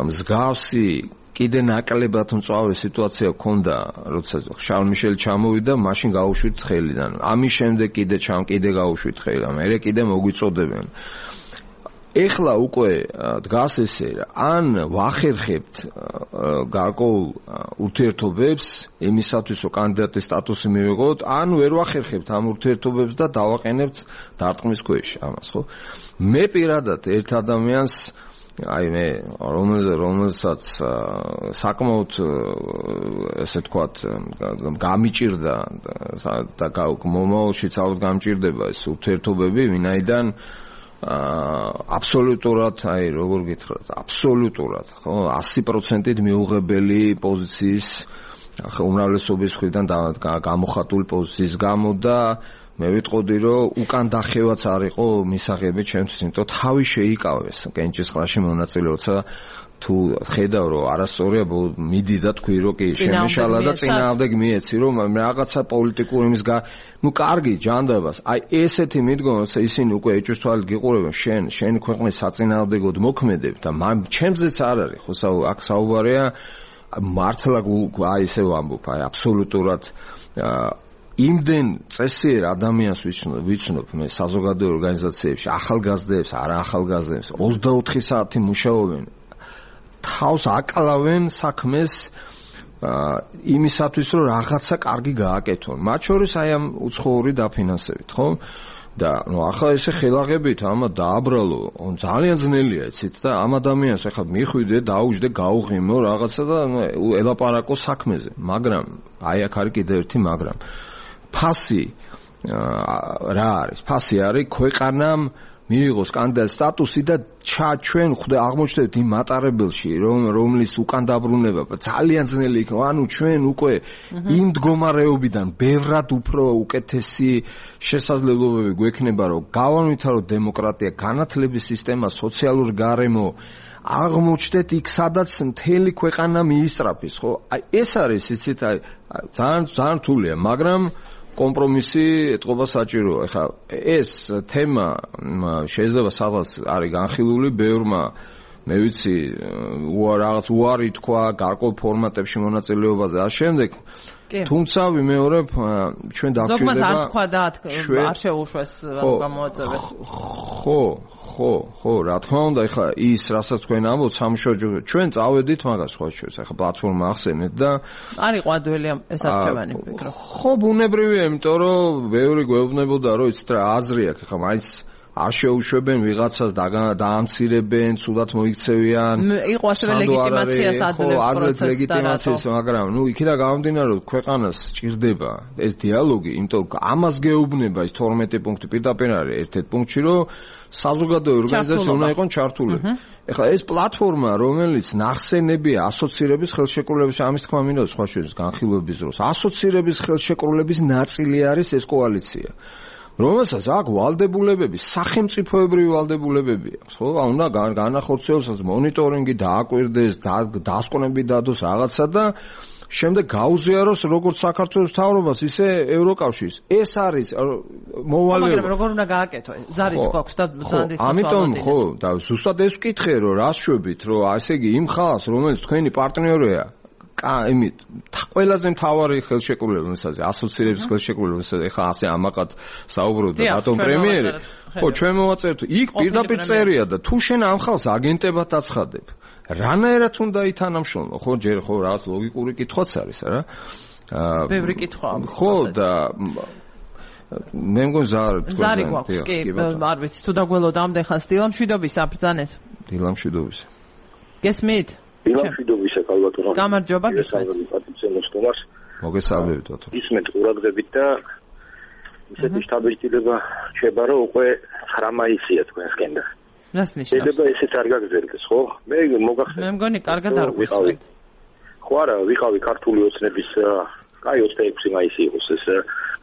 მსგავსი კიდე ნაკლებად მწვავე სიტუაცია გქონდა, როცა შარლ მიშელი ჩამოვიდა, მაშინ გაუშვით ხელიდან. ამის შემდეგ კიდე ჩამ კიდე გაუშვით ხელიდან. მერე კიდე მოგვიწოდებენ. ეხლა უკვე დგას ესე, ან ვახერხებთ გარკვეულ ურთიერთობებს იმისათვის, რომ კანდიდატის სტატუსი მივიღოთ, ან ვერ ვახერხებთ ამ ურთიერთობებს და დავაყენებთ დარტყმის ქვეშ ამას, ხო? მე პირადად ერთ ადამიანს აი მე რომელსაც საკმაოდ ესე თქვათ გამიჭირდა და მომავალშიც ალბათ გამჭირდება ეს ურთიერთობები ვინაიდან აბსოლუტურად აი როგორ გითხრათ აბსოლუტურად ხო ასი პროცენტით მიუღებელი პოზიციის უმრავლესობის მხრიდან გამოხატული პოზიციის გამო და მე ვიტყოდი რომ უკან დახევაც არ იყო მისაღები ჩემთვის, იმიტომ თავი შეიკავეს კენჭისყრაში მონაწილე, როცა თუ ხედავ რომ არასწორია მიდი და თქვი რომ კი შემეშალა და წინააღმდეგ მიეცი რომ რაღაცა პოლიტიკურ იმის გა ნუ კარგი ჯანდაბას აი ესეთი მიდგომა როცა ისინი უკვე ეჭვს თვალით გიყურებენ შენ შენი ქვეყნის საწინააღმდეგოდ მოქმედებ და ჩემზეც არ არის ხო აქ საუბარია მართლა აი ესე ვამბობ აი აბსოლუტურად იმდენ წესიერ ადამიანს ვიცნობ მე საზოგადოებრივ ორგანიზაციებში ახალგაზრდებს არა ახალგაზრდებს ოცდაოთხი საათი მუშაობენ თავს აკლავენ საქმეს იმისათვის რომ რაღაცა კარგი გააკეთონ მათ შორის აი ამ უცხოური დაფინანსებით ხო და ნუ ახლა ესე ხელაღებით ამა დააბრალო ძალიან ძნელია იცით და ამ ადამიანს ახლა მიხვიდე დაუჯდე გაუღიმო რაღაცა და ელაპარაკო საქმეზე მაგრამ აი აქ არის კიდევ ერთი მაგრამ ფასი რა არის? ფასი არის ქვეყანამ მიიღოს კანდიდატის სტატუსი და ჩვენ ხვდე აღმოჩნდეთ იმ მატარებელში რომ რომლის უკან დაბრუნება ძალიან ძნელი იქნება. ანუ ჩვენ უკვე იმ მდგომარეობიდან ბევრად უფრო უკეთესი შესაძლებლობები გვექნება რომ გავანვითაროთ დემოკრატია, განათლების სისტემა, სოციალური გარემო აღმოჩნდეთ იქ სადაც მთელი ქვეყანა მიისწრაფის, ხო? აი ეს არის იცით აი ძალიან ძალიან რთულია, მაგრამ კომპრომისი ეთყობა საჭიროა. ეხლა ეს თემა შეიძლება სადღაც არის განხილული ბევრმა მე ვიცი რაღაც უარი თქვა გარკვეულ ფორმატებში მონაწილეობაზე და შემდეგ თუმცა ვიმეორებ ჩვენ დაგჭირდება ზოგადად არ თქვა და არ შეუშვეს გამოაწევეს ხო ხო ხო რა თქმა უნდა ეხლა ის რასაც თქვენ ამბობთ სამშობლო ჩვენ წავედით მაგას ხო შეიძლება ეხლა პლატფორმა ახსენეთ და არ იყო ადველი ეს არჩევანი ვფიქრობ ხო ბუნებრივია იმიტომ რომ ბევრი გვეუბნებოდა რომ იცით რა აზრი აქვს ეხლა მაინც არ შეუშვებენ ვიღაცას დაამცირებენ, ცუდად მოიქცევიან. იყო ასევე ლეგიტიმაციას აძლევს პროცესს. ხო, ლეგიტიმაციას, მაგრამ ნუ იქიდან გამომდინარე რომ ქვეყანას ჭირდება ეს დიალოგი, იმიტომ რომ ამას გეუბნება ის თორმეტი პუნქტი პირდაპირ არის ერთ-ერთ პუნქტში, რომ საზოგადოებრივი ორგანიზაცია უნდა იყოს ჩართული. ეხლა ეს პლატფორმა, რომელიც ნახსენებია ასოცირების ხელშეკრულების ამის თქმა მინდა სხვა შეძ განხილვების დროს. ასოცირების ხელშეკრულების ნაწილი არის ეს კოალიცია. რომელსაც აქ ვალდებულებები, სახელმწიფოებრივი ვალდებულებები აქვს, ხო? უნდა განახორციელოს მონიტორინგი, დააკვირდეს, დასკვნები დადოს რაღაცა და შემდეგ გაუზიაროს როგორც საქართველოს მთავრობას, ისე ევროკავშირს. ეს არის მოვალეობა. მაგრამ როგორ უნდა გააკეთო? ზარიც გვაქვს და ზანდით ხო, ამიტომ ხო, და ზუსტად ეს ვკითხე, რომ რას შვებით, რომ ასე იგი იმ ხალხს, რომელიც თქვენი პარტნიორია იმით ყველაზე მთავარი ხელშეკრულებისაზე ასოცირების ხელშეკრულებისაზე ხა ასე ამაყად საუბრობთ და ბატონ პრემიერი ხო ჩვენ მოვაწერთ იქ პირდაპირ წერია და თუ შენ ამ ხალხს აგენტებად აცხადებ რანაირად უნდა ითანამშრომლო ხო ჯერ ხო რაღაც ლოგიკური კითხვაც არის რა ბევრი კითხვა ხო და მე მგონი ზარ ზარი გვაქვს კი არ ვიცი თუ დაგველოდა ამდე ხანს დილამშვიდობის აბრძანეთ დილამშვიდობის გესმით დილამშვიდობისა კალბატონო. გამარჯობა გესმით. მოგესალმებით ბატონო. ისმეთ ყურადღებით და ისეთი შთაბეჭდილება შეება რომ უკვე ცხრა მაისია თქვენსკენ და. რას ნიშნავს? შეიძლება ესეც არ გაგრძელდეს, ხო? მე მოგახსენე. მე მგონი კარგად არ გვისმენთ. ხო არა, ვიყავი ქართული ოცნების კაი ოცდაექვსი მაისი იყოს ეს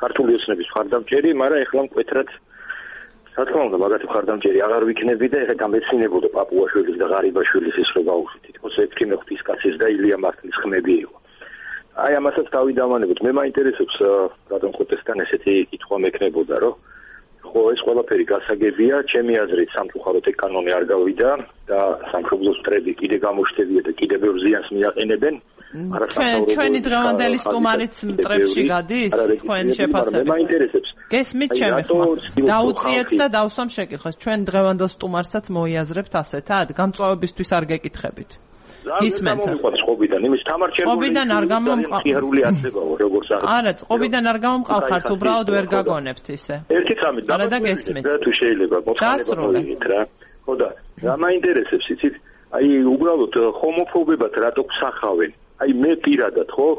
ქართული ოცნების მხარდამჭერი, მაგრამ ეხლა მკვეთრად რა თქმა უნდა, მაგათი მხარდამჭერი აღარ ვიქნები და ეხლა გამეცინებოდა პაპუაშვილის და ღარიბაშვილის ის რო გავუშვით. თითქოს ეფრიმე ღვთისკაცის და ილია მართლის ხმები იყო. აი ამასაც დავიდამანებოთ. მე მაინტერესებს რატომ ხოტესთან ესეთი კითხვა მექნებოდა, რომ ხო ეს ყველაფერი გასაგებია, ჩემი აზრით სამწუხაროდ ეკანონი არ გავიდა და სამშობლოს მტრები კიდე გამოშთებია და კიდე ბევრ ზიანს მიაყენებენ. ჩვენი დღევანდელი სტუმარიც მტრებში გადის თქვენი შეფასებით. მე მაინტერესებს. გესმით ჩემი ხმა. დაუწიეთ და დავსვამ შეკითხვას. ჩვენ დღევანდელ სტუმარსაც მოიაზრებთ ასეთად, გამწვავებისთვის არ გეკითხებით. გისმენთ. ყობიდან, იმის თამარ ყობიდან არ გამომყარული აცებაო, როგორც არის. არა, ყობიდან არ გამომყარხართ, უბრალოდ ვერ გაგონებთ ისე. ერთი წამით დაგესმით. და თუ შეიძლება მოხდება რა. ხო და რა მაინტერესებს იცით? აი უბრალოდ ჰომოფობებად რატო გსახავენ? აი მე პირადად ხო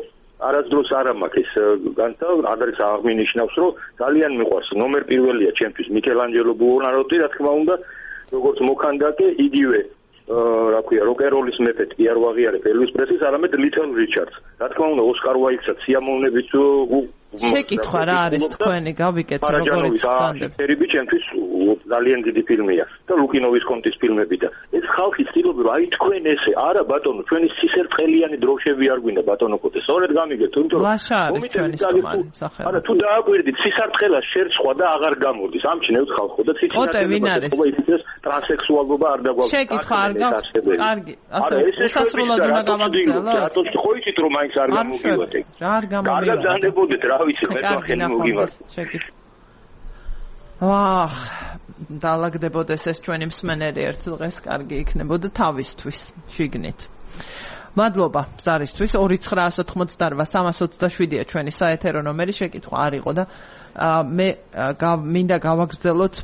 არასდროს არ მაქვს ეს განთა ადრეს აღმინიშნავს რომ ძალიან მიყვარს ნომერ პირველია ჩემთვის მიკელანჯელო ბუონაროტი რა თქმა უნდა როგორც მოქანდაკე იგივე რა ქვია როკეროლის მეფე კი არ ვაღიარებ ელვის პრესლის არამედ ლიტელ რიჩარდს რა თქმა უნდა ოსკარ უაიტსაც სიამოვნებით შეკითხვა რა არის თქვენი გავიკეთე როგორი წანდები ფერიბი ჩემთვის ძალიან დიდი ფილმია და ლუკინოვის კონტის ფილმები და ეს ხალხი ცდილობს აი თქვენ ესე არა ბატონო ჩვენი სისერწყელიანი დროშები არ გვინდა ბატონო კოტე სწორედ გამიგეთ თუმცა ლაშა არის ჩვენი სტუმარი სახელი არა თუ დააკვირდით სისერწყელას შერცხვა და აღარ გამოდის ამჩნევთ ხალხო და ციცი კოტე ვინ არის ტრანსექსუალობა არ დაგვაქვს შეკითხვა არ გაქვს კარგი ასე უსასრულოდ უნდა გამაგრძელოთ რატო ხო იცით რომ მაინც არ გამოვიდეთ რა არ გამოვიდეთ კარგად ზანდებოდეთ რა ვიცი მე თქვენ მოგივართ ვახ დაალაგდებოდეს ეს ჩვენი მსმენელი ერთ დღეს კარგი იქნებოდა თავისთვის შიგნით მადლობა ზარისთვის ორი ცხრაას ოთხმოცდარვა სამას ოცდაშვიდია ჩვენი საეთერო ნომერი შეკითხვა არ იყო და მე მინდა გავაგრძელოთ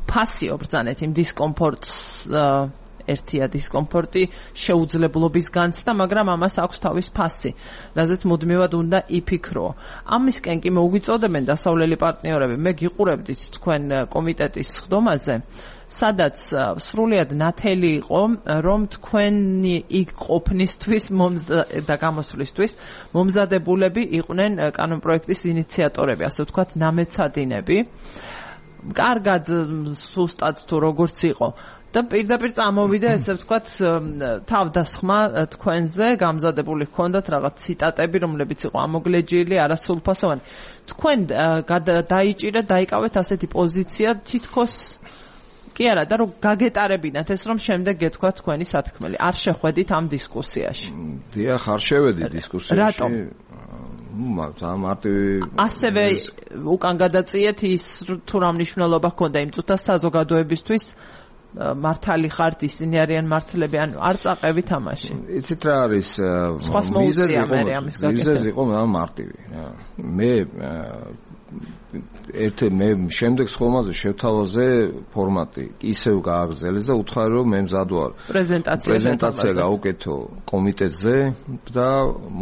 ფასი ობრძანეთ იმ დისკომფორტს ერთია დისკომფორტი შეუძლებლობის განცდა, მაგრამ ამას აქვს თავის ფასი, რაზეც მუდმივად უნდა იფიქრო. ამისკენ კი მოგვიწოდებენ დასავლელი პარტნიორები, მე გიყურებდით თქვენ კომიტეტის ხდომაზე, სადაც სრულიად ნათელი იყო, რომ თქვენი იქ ყოფნისთვის და გამოსვლისთვის მომზადებულები იყვნენ კანონპროექტის ინიციატორები, ასე ვთქვათ, ნამეცადინები. კარგად სუსტად თუ როგორც იყო და პირდაპირ წამოვიდა ესე ვთქვათ თავდასხმა თქვენზე გამზადებული ჰქონდათ რაღაც ციტატები რომლებიც იყო ამოგლეჯილი არასრულფასოვანი თქვენ დაიჭირეთ დაიკავეთ ასეთი პოზიცია თითქოს კი არა და რომ გაგეტარებინათ ეს რომ შემდეგ გეთქვა თქვენი სათქმელი არ შეხვედით ამ დისკუსიაში დიახ არ შევედი დისკუსიაში რატომ მაგა მარტივი ასევე უკან გადაწიეთ ის თუ რა მნიშვნელობა ჰქონდა იმ წუთას საზოგადოებისთვის მართალი ხართ ისინი არიან მართლები ან არ წაყევით ამაში იცით რა არის მიზეზი იყო მარტივი მე ერთ მე შემდეგ ხომაზე შევთავაზე ფორმატი ისევ გააგრძელეს და უთხარი რომ მე მზად ვარ პრეზენტაცია პრეზენტაცია გავუკეთო კომიტეტზე და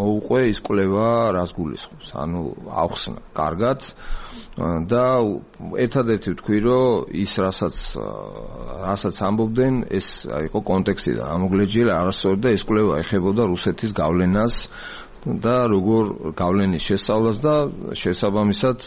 მოუყვე ის კვლევა რას გულისხმობს ანუ ავხსნა კარგად და ერთადერთი ვთქვი რომ ის რასაც რასაც ამბობდნენ ეს იყო კონტექსტიდან ამოგლეჯილი არასწორად და ეს კვლევა ეხებოდა რუსეთის გავლენას და როგორ გავლენის შესწავლას და შესაბამისად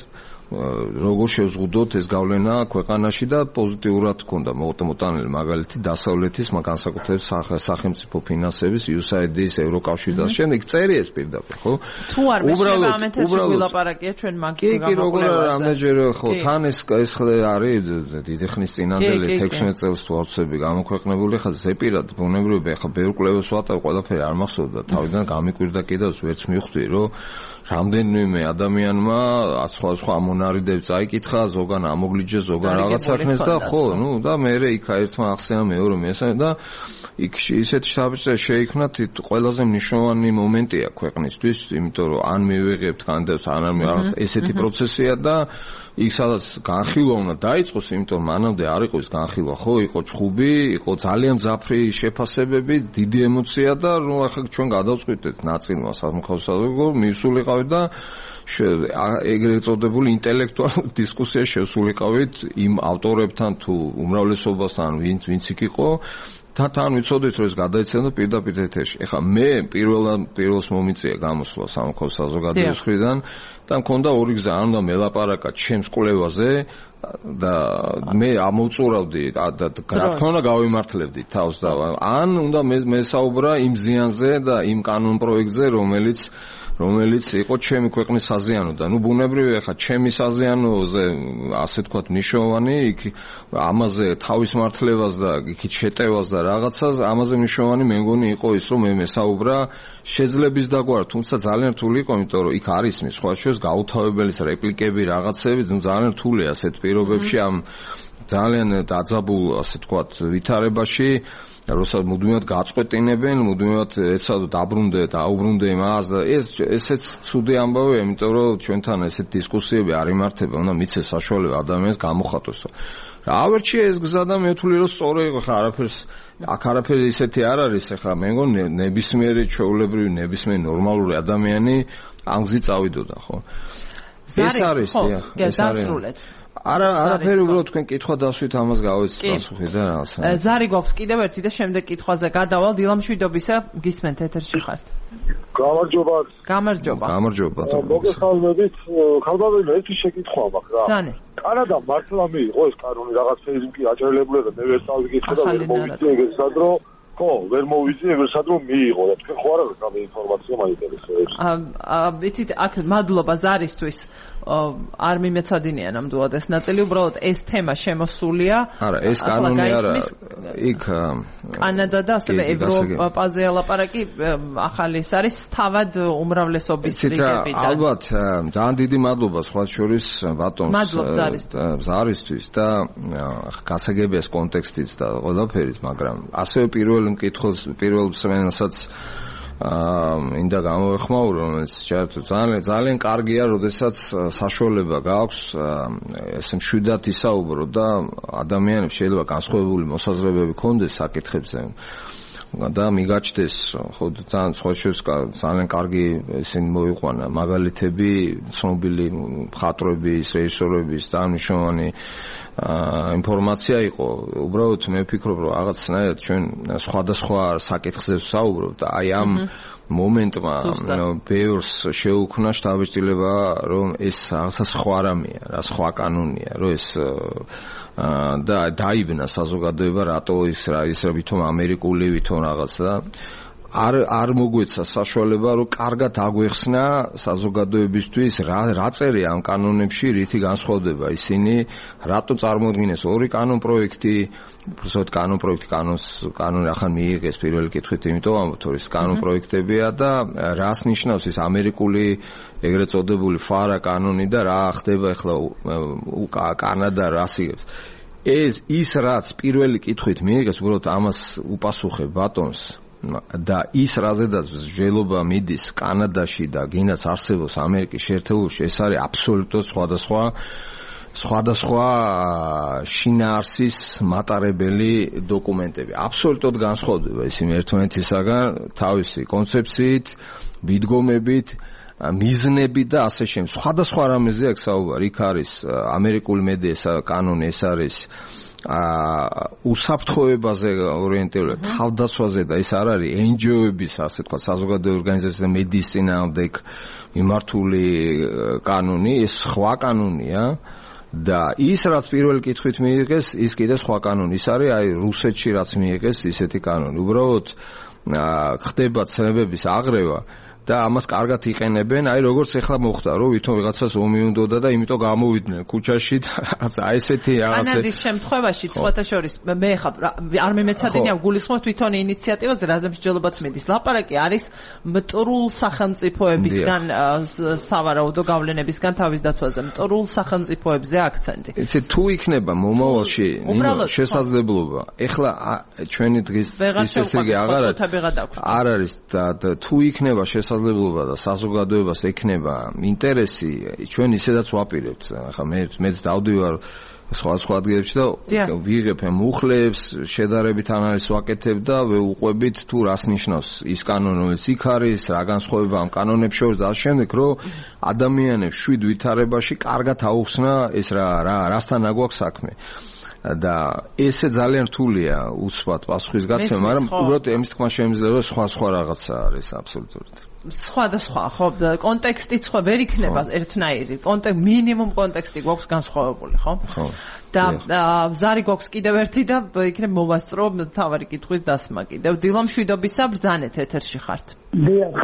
როგორ შევზღუდოთ ეს გავლენა ქვეყანაში და პოზიტიურად ჰქონდა მოტანილი მაგალითი დასავლეთის განსაკუთრებით სახელმწიფო ფინანსების იუ ეს აი დი-ის ევროკავშირის და შემდეგ წერი ეს პირდაპირ ხო თუ არ მეშება ამ ეთერში ვილაპარაკია ჩვენ მაგ გამოკვლევაზე ამეჯერე ხო თან ეს ეს არის დიდი ხნის წინანდელი თექვსმეტ წელს თუ არცები გამოქვეყნებული ხა ზეპირად ბუნებრივია ხა ბევრ კვლევას ვატარ ყველაფერი არ მახსოვდა თავიდან გამიკვირდა კიდევ ვერც მივხვდი რომ რამდენიმე ადამიანმა სხვა მონარიდებს წაიკითხა, ზოგან ამოგლიჯეს, ზოგან რაღაცა ხნეს და ხო, ნუ და მე იქ ერთმა ახსენა მეორე მესამე და იქ ისეთი საბჭო შეიქმნა ყველაზე მნიშვნელოვანი მომენტია ქვეყნისთვის, იმიტომ რომ ან მივიღებთ კანდიდატს, ან არ ესეთი პროცესია და იქ სადაც განხილვა უნდა დაიწყოს, იმიტომ მანამდე არ იყო ის განხილვა, ხო, იყო ჭხუბი, იყო ძალიან მძაფრი შეფასებები, დიდი ემოცია და ნუ ახლა ჩვენ გადავწყვიტეთ ნაწილმა სამხსოვრო მივსულიყავით და ეგრეთ წოდებული ინტელექტუალური დისკუსია შევსულიყავით იმ ავტორებთან თუ უმრავლესობასთან ვინც ვინც იქ იყო თან ვიცოდით რომ ეს გადაიცემა პირდაპირ ეთერში. ეხლა მე პირველ პირველს მომიწია გამოსვლა სამხსოვრო საზოგადოების მხრიდან და მქონდა ორი გზა, ან უნდა მელაპარაკა ჩემს კვლევაზე და მე ამოვწურავდი და რა თქმა უნდა გავიმართლებდი თავს და ან უნდა მე საუბრა იმ ზიანზე და იმ კანონ პროექტზე რომელიც რომელიც იყო ჩემი ქვეყნის საზიანო და ნუ ბუნებრივია ხა ჩემი საზიანოზე ასე თქვათ მნიშვნელოვანი იქ ამაზე თავის მართლებას და იქით შეტევას და რაღაცას ამაზე მნიშვნელოვანი მე მგონი იყო ის რომ მე მესაუბრა შეძლების დაგვარ თუმცა ძალიან რთული იყო იმიტომ რომ იქ არის მის სხვა შორის გაუთავებელი რეპლიკები რაღაცები ნუ ძალიან რთულია ასეთ პირობებში ამ ძალიან დაძაბულ ასე თქვათ ვითარებაში როცა მუდმივად გაწყვეტინებენ, მუდმივად ეცადო დაბრუნდე და აუბრუნდე მას და ეს ესეც ცუდი ამბავია, იმიტომ რომ ჩვენთან ესეთ დისკუსიები არ იმართება, უნდა მიცეს საშუალება ადამიანს გამოხატოს. რა ავერჩია ეს გზა და მე ვთვლი რომ სწორი იყო, ხა არაფერს აქ არაფერი ისეთი არ არის, ხა მე მგონი ნებისმიერი ჩვეულებრივი ნებისმიერი ნორმალური ადამიანი ამ გზით წავიდოდა, ხო? ეს არის, დიახ, ეს არის. არა არაფერი უბრალოდ თქვენ კითხვა დასვით ამას გავეცით პასუხი და რაღაცა. ზარი გვაქვს კიდევ ერთი და შემდეგ კითხვაზე გადავალ დილამშვიდობისა გისმენთ ეთერში ხართ. გამარჯობა. გამარჯობა. გამარჯობა. მოგესალმებით. ხალბაველი ერთი შეკითხვა მაქვს რა. ზანი. კანადა მართლა მიიღო ეს კანონი რაღაცეები კი აჭრელებული და მე ვერ წავიგეთ და ვერ მოვიცი ეგრეცად რომ ხო, ვერ მოვიცი ეგრეცად რომ მიიღო და თქვენ ხო არ არის ამ ინფორმაცია მაინტერესებს. აა ვიცით აქ მადლობა ზარისთვის. არ მიმეცადინია ნამდვილად ეს ნაწილი უბრალოდ ეს თემა შემოსულია არა ეს კანონი არა იქ კანადა და ასევე ევროპაზე ლაპარაკი ახალი ეს არის თავად უმრავლესობის რიგებიდან ალბათ ძალიან დიდი მადლობა სხვა შორის ბატონს ზარისთვის და გასაგებია ეს კონტექსტიც და ყველაფერიც მაგრამ ასევე პირველ მკითხველს პირველ მსმენელსაც აა ინდა გამოვეხმაურო რომელიც ძალიან ძალიან კარგია, როდესაც საშუალება გაქვს ესე მშვიდად ისაუბრო და ადამიანებს შეიძლება განსხვავებული მოსაზრებები ქონდეს საკითხებზე და მიგაჩნდეს ხო ძალიან სხვა შორის ძალიან კარგი ესენი მოიყვანა მაგალითები ცნობილი მხატვრების, რეჟისორების და მნიშვნელოვანი ინფორმაცია იყო. უბრალოდ მე ვფიქრობ, რომ რაღაცნაირად ჩვენ სხვადასხვა საკითხზე ვსაუბრობთ და აი ამ მომენტმა ბევრს შეუქმნა შთაბეჭდილება, რომ ეს რაღაცა სხვა რამეა, რა სხვა კანონია, რომ ეს და დაიბნა საზოგადოება რატო ის რა ის ვითომ ამერიკული ვითომ რაღაც და არ არ მოგვეცა საშუალება რომ კარგად აგვეხსნა საზოგადოებისთვის რა რა წერია ამ კანონებში რითი განსხვავდება ისინი რატო წარმოადგენს ორი კანონ პროექტი უბრალოდ კანონ პროექტი კანონს კანონი ახლა მიიღეს პირველი კითხვით იმიტომ ამბობთ რომ ეს კანონ პროექტებია და რას ნიშნავს ეს ამერიკული ეგრეთ წოდებული ფარა კანონი და რა ხდება ახლა კანადა რას იღებს ეს ის რაც პირველი კითხვით მიიღეს უბრალოდ ამას უპასუხებ ბატონს და ის რაზედაც ჟელობა მიდის კანადაში და გინდაც არსებობს ამერიკის შეერთებულში ეს არის აბსოლუტურად სხვადასხვა სხვადასხვა შინაარსის მატარებელი დოკუმენტები აბსოლუტურად განსხვავდება ისინი ერთმანეთისაგან თავისი კონცეფციით, მიდგომებით, მიზნებით და ასე შემდეგ. სხვადასხვა რამეზე აქ საუბარი, იქ არის ამერიკული მედია კანონი, ეს არის უსაფრთხოებაზე ორიენტირებული თავდაცვაზე და ეს არ არის en ge o-ების ასე თქვა საზოგადოებრივი ორგანიზაციების და მედიის წინააღმდეგ მიმართული კანონი, ეს სხვა კანონია და ის რაც პირველი კითხვით მიიღეს, ის კიდე სხვა კანონი. ის არის აი რუსეთში რაც მიიღეს ისეთი კანონი. უბრალოდ ხდება ცნებების აღრევა და ამას კარგად იყენებენ, აი როგორც ახლა მოხდა, რომ ვითომ ვიღაცას ომი უნდოდა და იმიტომ გამოვიდნენ ქუჩაში და რაღაცა აი ესეთი რაღაცა. ანადის შემთხვევაში სხვათა შორის მე ხა არ მემეცადინია გულისხმობ თვითონ ინიციატივაზე, რაზე მსჯელობაც მიდის. ლაპარაკი არის მტრულ სახელმწიფოებისგან, სავარაუდო გავლენებისგან თავის დაცვაზე, მტრულ სახელმწიფოებზე აქცენტი. იცი თუ იქნება მომავალში შესაძლებლობა. ეხლა ჩვენი დღის წესრიგი აღარ არ არის და თუ იქნება შესაძლებლობა და საზოგადოებას ექნება ინტერესი, ჩვენ ისედაც ვაპირებთ. ახლა მე მეც დავდივარ სხვა სხვა ადგილებში და ვიღებ მუხლებს, შედარებით ანალიზს ვაკეთებ და ვუყვებით თუ რას ნიშნავს ის კანონი, რომელიც იქ არის, რა განსხვავება ამ კანონებს შორის და ამ შემდეგ, რომ ადამიანებს შვიდ ვითარებაში კარგად აუხსნა ეს რა რა რასთან აგვაქვს საქმე. და ესე ძალიან რთულია უცბად პასუხისგაცემა, მაგრამ უბრალოდ ამის თქმა შემიძლია სხვა სხვა რაღაცა არის აბსოლუტურად. სხვადასხვა, ხო, კონტექსტიც ხო ვერ იქნება ერთნაირი. კონტექსტ მინიმუმ კონტექსტი გვაქვს განსხვავებული, ხო? ხო. და ზარი გვაქვს კიდევ ერთი და იქნებ მოვასწრო თავარი კითხვის დასმა კიდევ. დილო მშვიდობისა, ბრძანეთ ეთერში ხართ. დიახ,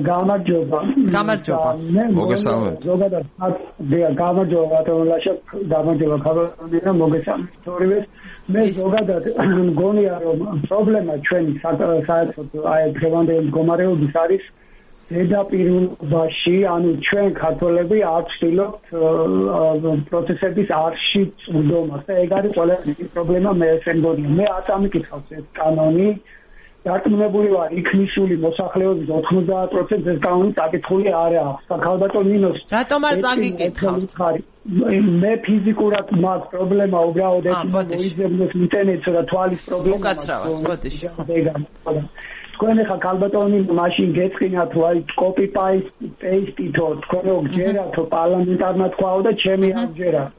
გამარჯობა. გამარჯობა. მოგესალმებით. ზოგადად, დიახ, გამარჯობა, ბატონლაშა, გამარჯობა, ხალხო, მოგესალმებით. ორივეს მე ზოგადად მგონია, რომ პრობლემა ჩვენი საერთოდ აი დღევანდელი მდგომარეობის არის ზედაპირულობაში, ანუ ჩვენ ქართველები არ ვცდილობთ პროცესების არში წვდომას და ეგ არის ყველაზე პრობლემა მე ესე მგონია. მე არც ამიკითხავს ეს კანონი, დარწმუნებული ვარ, იქ მისული მოსახლეობის ოთხმოცდაათ პროცენტს ეს კანონი წაკითხული არ აქვს. ქალბატონ ნინოს რატომ არ წაგიკითხავთ? მე ფიზიკურად მაქვს პრობლემა უბრალოდ ეს მოიძებნოს ინტერნეტს და თვალის პრობლემა. უკაცრავად, ბოდიში. თქვენ ახლა ქალბატონი მაშინ გეწყინათ თუ აი კოპი პეისტითო თქვენ გჯერათო პარლამენტარმა თქვაო და ჩემი არ ჯერათ.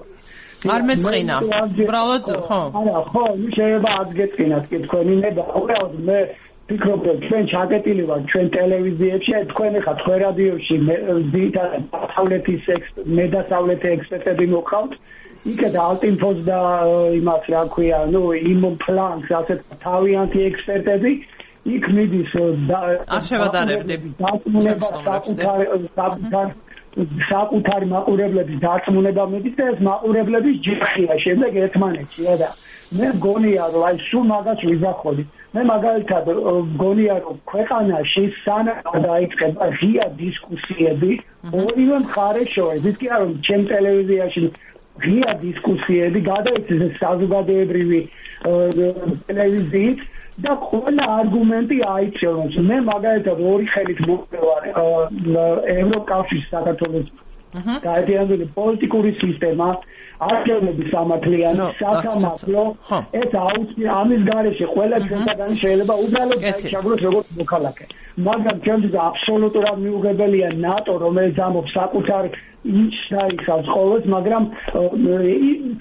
არ მეწყინა. უბრალოდ ხო. არა, ხო, შეიძლება არ გეწყინათ კი თქვენი მე და უბრალოდ მე ვფიქრობ რომ ჩვენ ჩაკეტილი ვართ ჩვენ ტელევიზიებში, თქვენ ახლა თქვენ რადიოში ძირითადად დასავლეთის მე დასავლეთი ექსპერტები მოყავთ. იქეთ ალტინფოს და იმას რა ქვია, ნუ იმ პლანს ასეთ თავიანთი ექსპერტები იქ მიდის არ შევადარებდი დაწმუნება საკუთარი საკუთარი მაყურებლების დაწმუნება მიდის და ეს მაყურებლების ჯიხია შემდეგ ერთმანეთშია და მე მგონია რომ აი სულ მაგას ვიზახოდი. მე მაგალითად მგონია რომ ქვეყანაში სანამ დაიწყება ღია დისკუსიები ორივე მხარეს შორის, ის კი არა რომ ჩემ ტელევიზიაში ღია დისკუსიები გადაიცეს საზოგადოებრივი ტელევიზიით და ყველა არგუმენტი აიწევს. მე მაგალითად ორი ხელით მოვარ ევროკავშირის საქართველოს გაერთიანებული პოლიტიკური სისტემა, არჩევნების სამართლიანი, სასამართლო, ეს აუცილებელი ამის გარეშე ყველა ჩვენგანი შეიძლება უბრალოდ დაიჩაგროს როგორც მოქალაქე. მაგრამ ჩვენთვის აბსოლუტურად მიუღებელია ნატო, რომელიც ამობს საკუთარ ის დაიხავს ყოველს, მაგრამ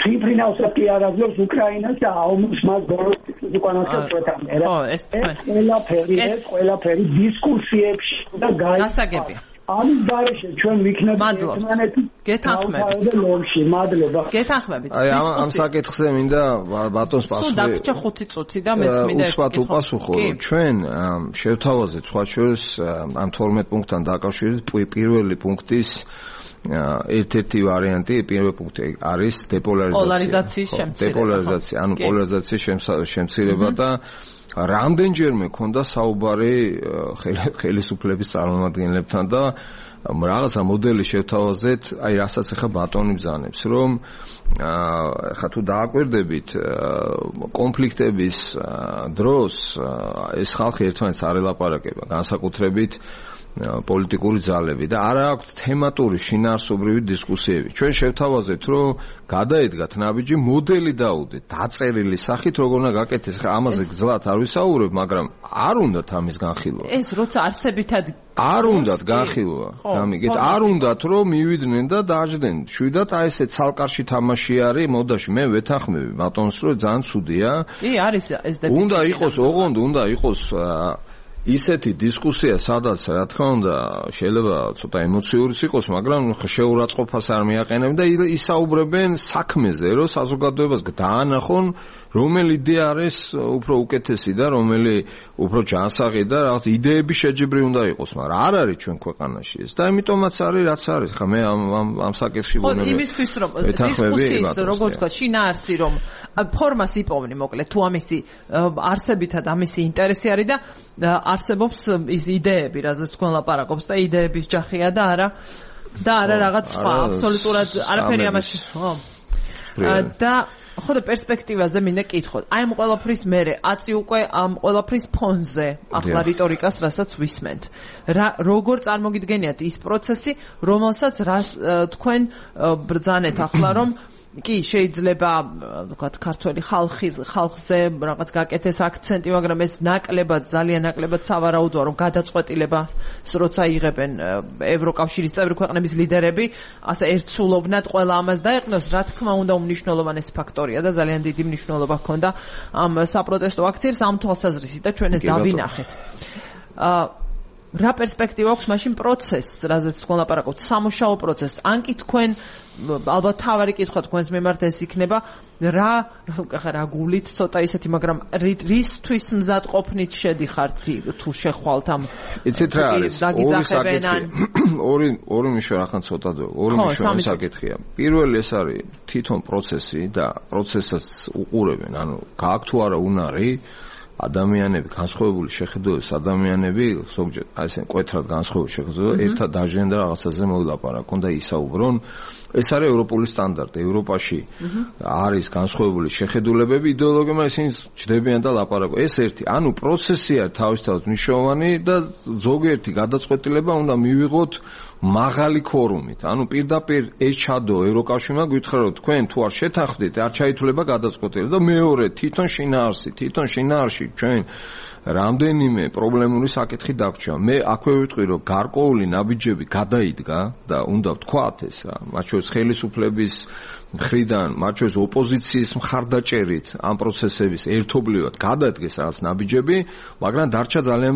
თვითფრინავსაც კი არ აძლევს უკრაინას და აუმს მას ბოლოს უკანასკნელ წლებში. ეს ყველაფერი, ეს ყველაფერი დისკუსიებში და გასაგებია. ამის გარეშე ჩვენ ვიქნებით ერთმანეთის გეთანხმებით ლომში. მადლობა. გეთანხმებით. აი ამ ამ საკითხზე მინდა ბატონს პასუხი. სულ დაგჭა ხუთი წუთი და მეც მინდა უცბად უპასუხო, რომ ჩვენ შევთავაზეთ სხვა შორის ამ თორმეტ პუნქტთან დაკავშირებით პირველი პუნქტის ერთ-ერთი ვარიანტი, პირველი პუნქტი არის დეპოლარიზაცია. დეპოლარიზაცია, ანუ პოლარიზაციის შემცირება და რამდენჯერმე ქონდა საუბარი ხელისუფლების წარმომადგენლებთან და რაღაცა მოდელი შევთავაზეთ, აი რასაც ახლა ბატონი ბრძანებს, რომ ახლა თუ დააკვირდებით კონფლიქტების დროს ეს ხალხი ერთმანეთს არ ელაპარაკება, განსაკუთრებით პოლიტიკური ძალები და არა აქვთ თემატური შინაარსობრივი დისკუსიები. ჩვენ შევთავაზეთ, რომ გადაედგათ ნაბიჯი, მოდელი დაუდეთ, დაწერილი სახით, როგორ უნდა გაკეთდეს. ხა ამაზე გძლად არ ვისაუბრებ, მაგრამ არ უნდათ ამის განხილვა. ეს როცა არსებითად არ უნდათ განხილვა. გამიგეთ, არ უნდათ რომ მივიდნენ და დაждდნენ. შვიდად აი ესე ცალკარში თამაში არის, მოდაში მე ვეთანხმები ბატონს, რომ ძალიან ცუდია. კი, არის ეს დეფიციტი. უნდა იყოს, ოღონდ უნდა იყოს ისეთი დისკუსია, სადაც რა თქმა უნდა შეიძლება ცოტა ემოციურიც იყოს, მაგრამ შეურაცხყოფას არ მიაყენებენ და ისაუბრებენ საქმეზე, რომ საზოგადოებას დაანახონ, რომელი იდეა არის უფრო უკეთესი და რომელი უფრო ჯანსაღი და რაღაც იდეები შეჯიბრი უნდა იყოს, მაგრამ არ არის ჩვენ ქვეყანაში ეს. და ამიტომაც არის რაც არის. ხა მე ამ ამ ამ საკითხში ვუներ. ხო, იმისთვის რომ დისკუსიის როგორც თქვა, შინაარსი რომ ფორმას იპოვნი, მოკლედ თუ ამისი არსებითად ამისი ინტერესი არის და არსებობს ის იდეები, რაზეც თქვენ ლაპარაკობს და იდეების ჯახია და არა და არა რაღაც სხვა, აბსოლუტურად არაფერი ამაში. ხო. და ხო და პერსპექტივაზე მინდა კითხოთ. აი ამ ყველაფრის მერე აწი უკვე ამ ყველაფრის ფონზე ახლა რიტორიკას რასაც ვისმენთ. რა როგორ წარმოგიდგენიათ ის პროცესი, რომელსაც რას თქვენ ბრძანეთ ახლა რომ კი შეიძლება ვთქვათ ქართველი ხალხი ხალხზე რაღაც გაკეთეს აქცენტი, მაგრამ ეს ნაკლებად ძალიან ნაკლებად სავარაუდოა რომ გადაწყვეტილებას როცა იღებენ ევროკავშირის წევრი ქვეყნების ლიდერები, ასე ერთსულოვნად ყველა ამას დაეყნოს, რა თქმა უნდა უმნიშვნელოვანესი ფაქტორია და ძალიან დიდი მნიშვნელობა ჰქონდა ამ საპროტესტო აქციებს ამ თვალსაზრისით და ჩვენ ეს დავინახეთ. აა რა პერსპექტივა აქვს მაშინ პროცესს, რაზეც თქვენ ლაპარაკობთ, სამუშაო პროცესს. ან კი თქვენ ალბათ თავარი კითხვა თქვენს მიმართ ეს იქნება რა რა გულით ცოტა ისეთი, მაგრამ რისთვის მზადყოფნით შედიხართ თუ შეხვალთ ამ იცით რა არის ორი საკითხია ორი ორი მიშო რახან ცოტა ორი მიშო საკითხია. პირველი ეს არის თვითონ პროცესი და პროცესსაც უყურებენ, ანუ გააქვთ თუ არა უნარი ადამიანები, განსხვავებული შეხედულების ადამიანები, ზოგჯერ აი ესე მკვეთრად განსხვავებული შეხედულება, ერთად დაჟდნენ და რაღაცაზე მოილაპარაკონ და ისაუბრონ. ეს არის ევროპული სტანდარტი. ევროპაში არის განსხვავებული შეხედულებები, იდეოლოგიებმა ისინი ჯდებიან და ლაპარაკობენ. ეს ერთი, ანუ პროცესი არის თავისთავად მნიშვნელოვანი და ზოგიერთი გადაწყვეტილება უნდა მივიღოთ მაღალი ქორუმით. ანუ პირდაპირ ეს ჩადო ევროკავშირმა გითხრა რომ თქვენ თუ არ შეთანხმდით, არ ჩაითვლება გადაწყვეტილება და მეორე თვითონ შინაარსი, თვითონ შინაარსი ჩვენ რამდენიმე პრობლემური საკითხი დაგვრჩა. მე აქვე ვიტყვი რომ გარკვეული ნაბიჯები გადაიდგა და უნდა ვთქვათ ეს რა, მათ შორის ხელისუფლების მხრიდან, მათ შორის ოპოზიციის მხარდაჭერით ამ პროცესების ერთობლივად გადადგეს რაღაც ნაბიჯები, მაგრამ დარჩა ძალიან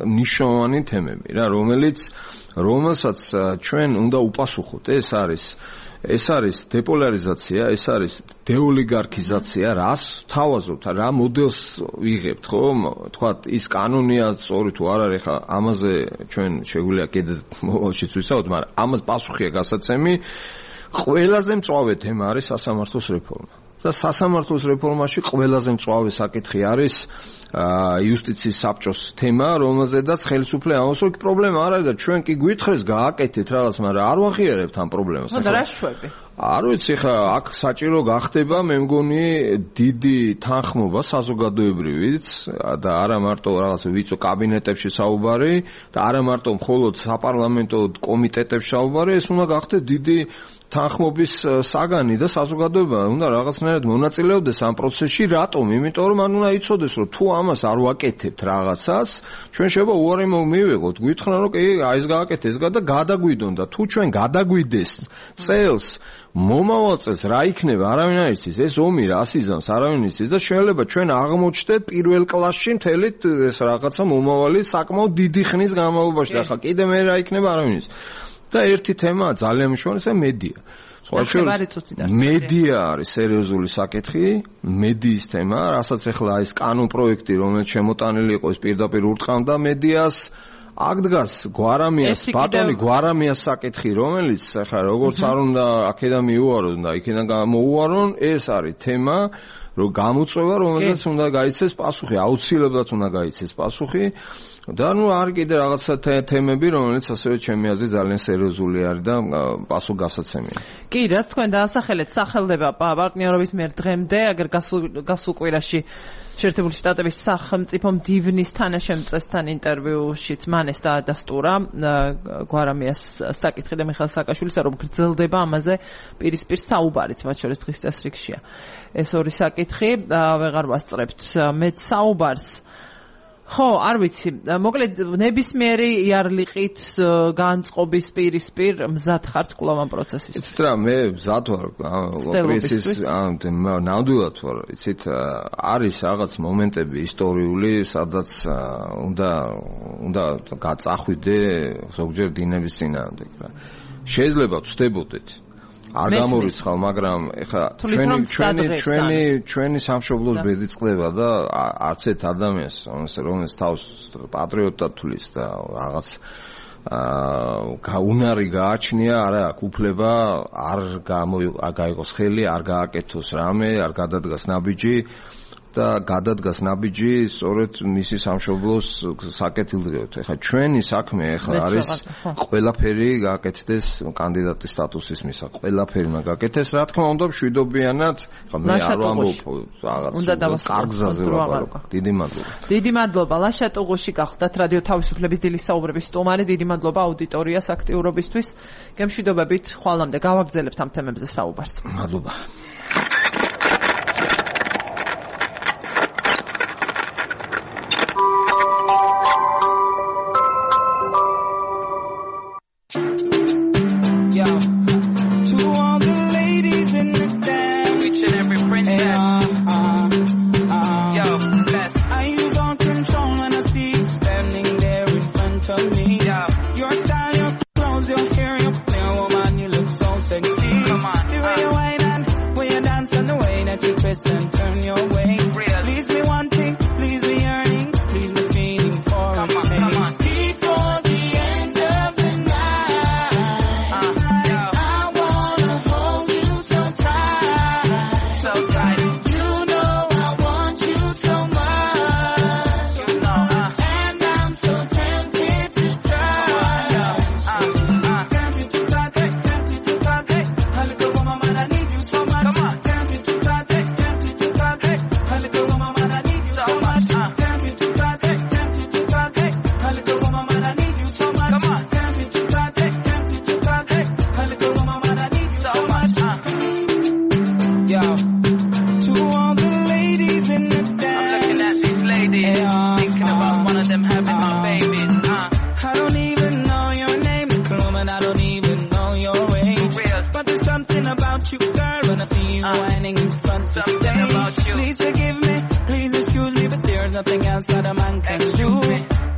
მნიშვნელოვანი თემები რა, რომელიც რომელსაც ჩვენ უნდა უპასუხოთ. ეს არის ეს არის დეპოლარიზაცია, ეს არის დეოლიგარქიზაცია, რას თავაზობთ, რა მოდელს ვიღებთ, ხო? თქვათ, ის კანონია სწორი თუ არ არის, ხა ამაზე ჩვენ შეგვიძლია კიდე მოვალშიც ვისაუბროთ, მაგრამ ამას პასუხია გასაცემი. ყველაზე მწვავე თემა არის სასამართლოს რეფორმა. და სასამართლოს რეფორმაში ყველაზე მწვავე საკითხი არის იუსტიციის საბჭოს თემა, რომელზედაც ხელისუფლება ამბობს, რომ პრობლემა არ არის და ჩვენ კი გვითხრეს გააკეთეთ რაღაც, მაგრამ არ ვაღიარებთ ამ პრობლემას. ხო და რა შვები? არ ვიცი ხა აქ საჭირო გახდება მე მგონი დიდი თანხმობა საზოგადოებრივიც და არა მარტო რაღაც ვიწრო კაბინეტებში საუბარი და არა მარტო მხოლოდ საპარლამენტო კომიტეტებში საუბარი, ეს უნდა გახდეს დიდი თანხმობის საგანი და საზოგადოება უნდა რაღაცნაირად მონაწილეობდეს ამ პროცესში. რატომ? იმიტომ რომ მან უნდა იცოდეს რომ თუ ამას არ ვაკეთებთ რაღაცას, ჩვენ შეიძლება უარი მივიღოთ. გვითხრან რომ კი აი ეს გააკეთე ეს და გადაგვიდონ და თუ ჩვენ გადაგვიდეს წელს მომავალ წელს რა იქნება არავინ არ იცის, ეს ომი რას იზამს არავინ იცის და შეიძლება ჩვენ აღმოჩნდეთ პირველ კლასში მთელი ეს რაღაცა მომავალი საკმაოდ დიდი ხნის განმავლობაში და ხა კიდე მე რა იქნება არავინ იცის. და ერთი თემაა ძალიან მნიშვნელოვანი, მედია. მედია არის სერიოზული საკითხი, მედიის თემა, რასაც ახლა ეს კანონ პროექტი, რომელიც შემოტანილი იყო, ეს პირდაპირ ურტყამდა მედიას. აქ დგას გვარამიას, ბატონი გვარამიას საკითხი, რომელიც ახლა როგორც არ უნდა აქედან მიუარონ და იქიდან გამოუარონ, ეს არის თემა, რომ გამოწვევა, რომელსაც უნდა გაიცეს პასუხი, აუცილებლად უნდა გაიცეს პასუხი. და ნუ არ კიდე რაღაცა თემები, რომელიც ასევე ჩემი აზრით ძალიან სერიოზული არის და პასუხგასაცემია. კი, რაც თქვენ დაასახელეთ, სახელდება პარტნიორობის მიერ დღემდე, აგერ გასულ კვირაში შეერთებული შტატების სახელმწიფო მდივნის თანაშემწესთან ინტერვიუშიც მან ეს დაადასტურა გვარამიას საკითხი და მიხეილ სააკაშვილისა, რომ გრძელდება ამაზე პირისპირ საუბარიც, მათ შორის დღის წესრიგშია. ეს ორი საკითხი ვეღარ ვასწრებთ მეც საუბარს. ხო, არ ვიცი. მოკლედ ნებისმიერი იარლიყით განწყობის პირისპირ მზად ხართ კვლავ ამ პროცესის. იცით რა, მე მზად ვარ ოპერაციის ნამდვილად ვარ. იცით, არის რაღაც მომენტები ისტორიული, სადაც უნდა უნდა გაწახვიდე ზოგჯერ დინების წინააღმდეგ რა. შეიძლება ვწდებოდეთ. არ გამორიცხავ, მაგრამ ეხლა ჩვენი ჩვენი ჩვენი ჩვენი სამშობლოს ბედი წყდება და არც ერთ ადამიანს, რომელიც თავს პატრიოტად თulis და რაღაც აა უნარი გააჩნია, არა აქვს უფლება არ გაიგოს ხელი, არ გააკეთოს რამე, არ გადადგას ნაბიჯი და გადადგას ნაბიჯი სწორედ მისი სამშობლოს საკეთილდღეოდ. ეხლა ჩვენი საქმე ეხლა არის ყველაფერი გააკეთდეს კანდიდატის სტატუსის მისაღ. ყველაფერი უნდა გააკეთდეს, რა თქმა უნდა, მშვიდობიანად. ეხლა მე არ ვამბობ რაღაც კარგზაზე ვაბარო. დიდი მადლობა. დიდი მადლობა. ლაშა ტუღუში გახდათ რადიო თავისუფლების დილის საუბრების სტუმარი. დიდი მადლობა აუდიტორიას აქტიურობისთვის. გემშვიდობებით, ხვალამდე გავაგრძელებთ ამ თემებზე საუბარს. მადლობა. And turn your ways. Please me wanting, please me yearning, please me feeling for a taste. Before the end of the night, uh, I wanna hold you so tight, so tight. You know I want you so much, you know, uh, and I'm so tempted to try. Uh, uh, tempted to try, tempted to try. A little woman, man, I need you so much. Come on, tempted to try. Nothing else that a man can do.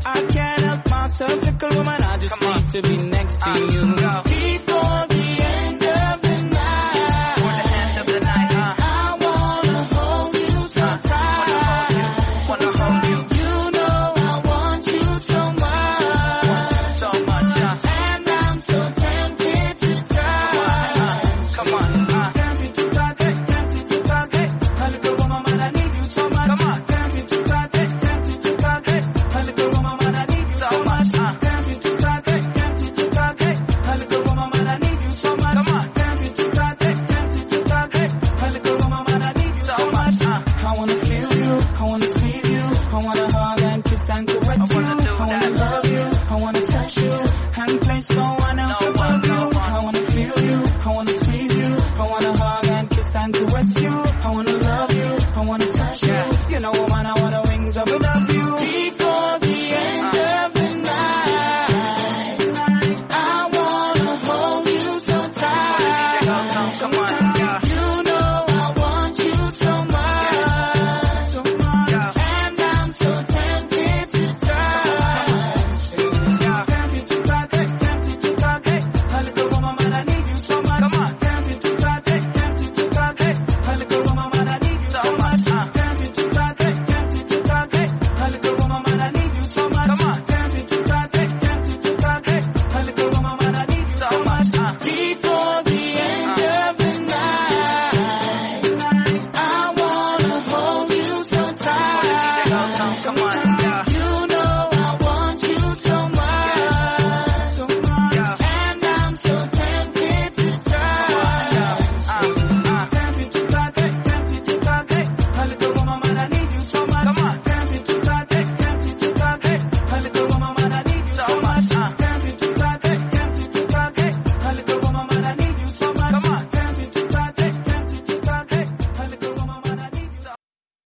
I can't help myself, fickle woman. I just Come need on. to be next to uh, you. Go. Before the end of the night, Before the end of the night, uh, I wanna hold you so uh, tight. Wanna hold you. You know I want you so much, want you so much, uh, and I'm so tempted to try. Uh, come on, uh, tempted to try, tempted to try. A little woman, man, I need you so much. Come on, tempted to try. A little woman, man, I need you so much. Tempted to try, tempted to try. A little I wanna feel you, I wanna squeeze you, I wanna hug and kiss and caress you, I wanna love you, I wanna touch you, and place no one else above you. I wanna feel you, I wanna squeeze you, I wanna hug and kiss and caress you, I wanna love you, I wanna touch you. You know what, man, I wanna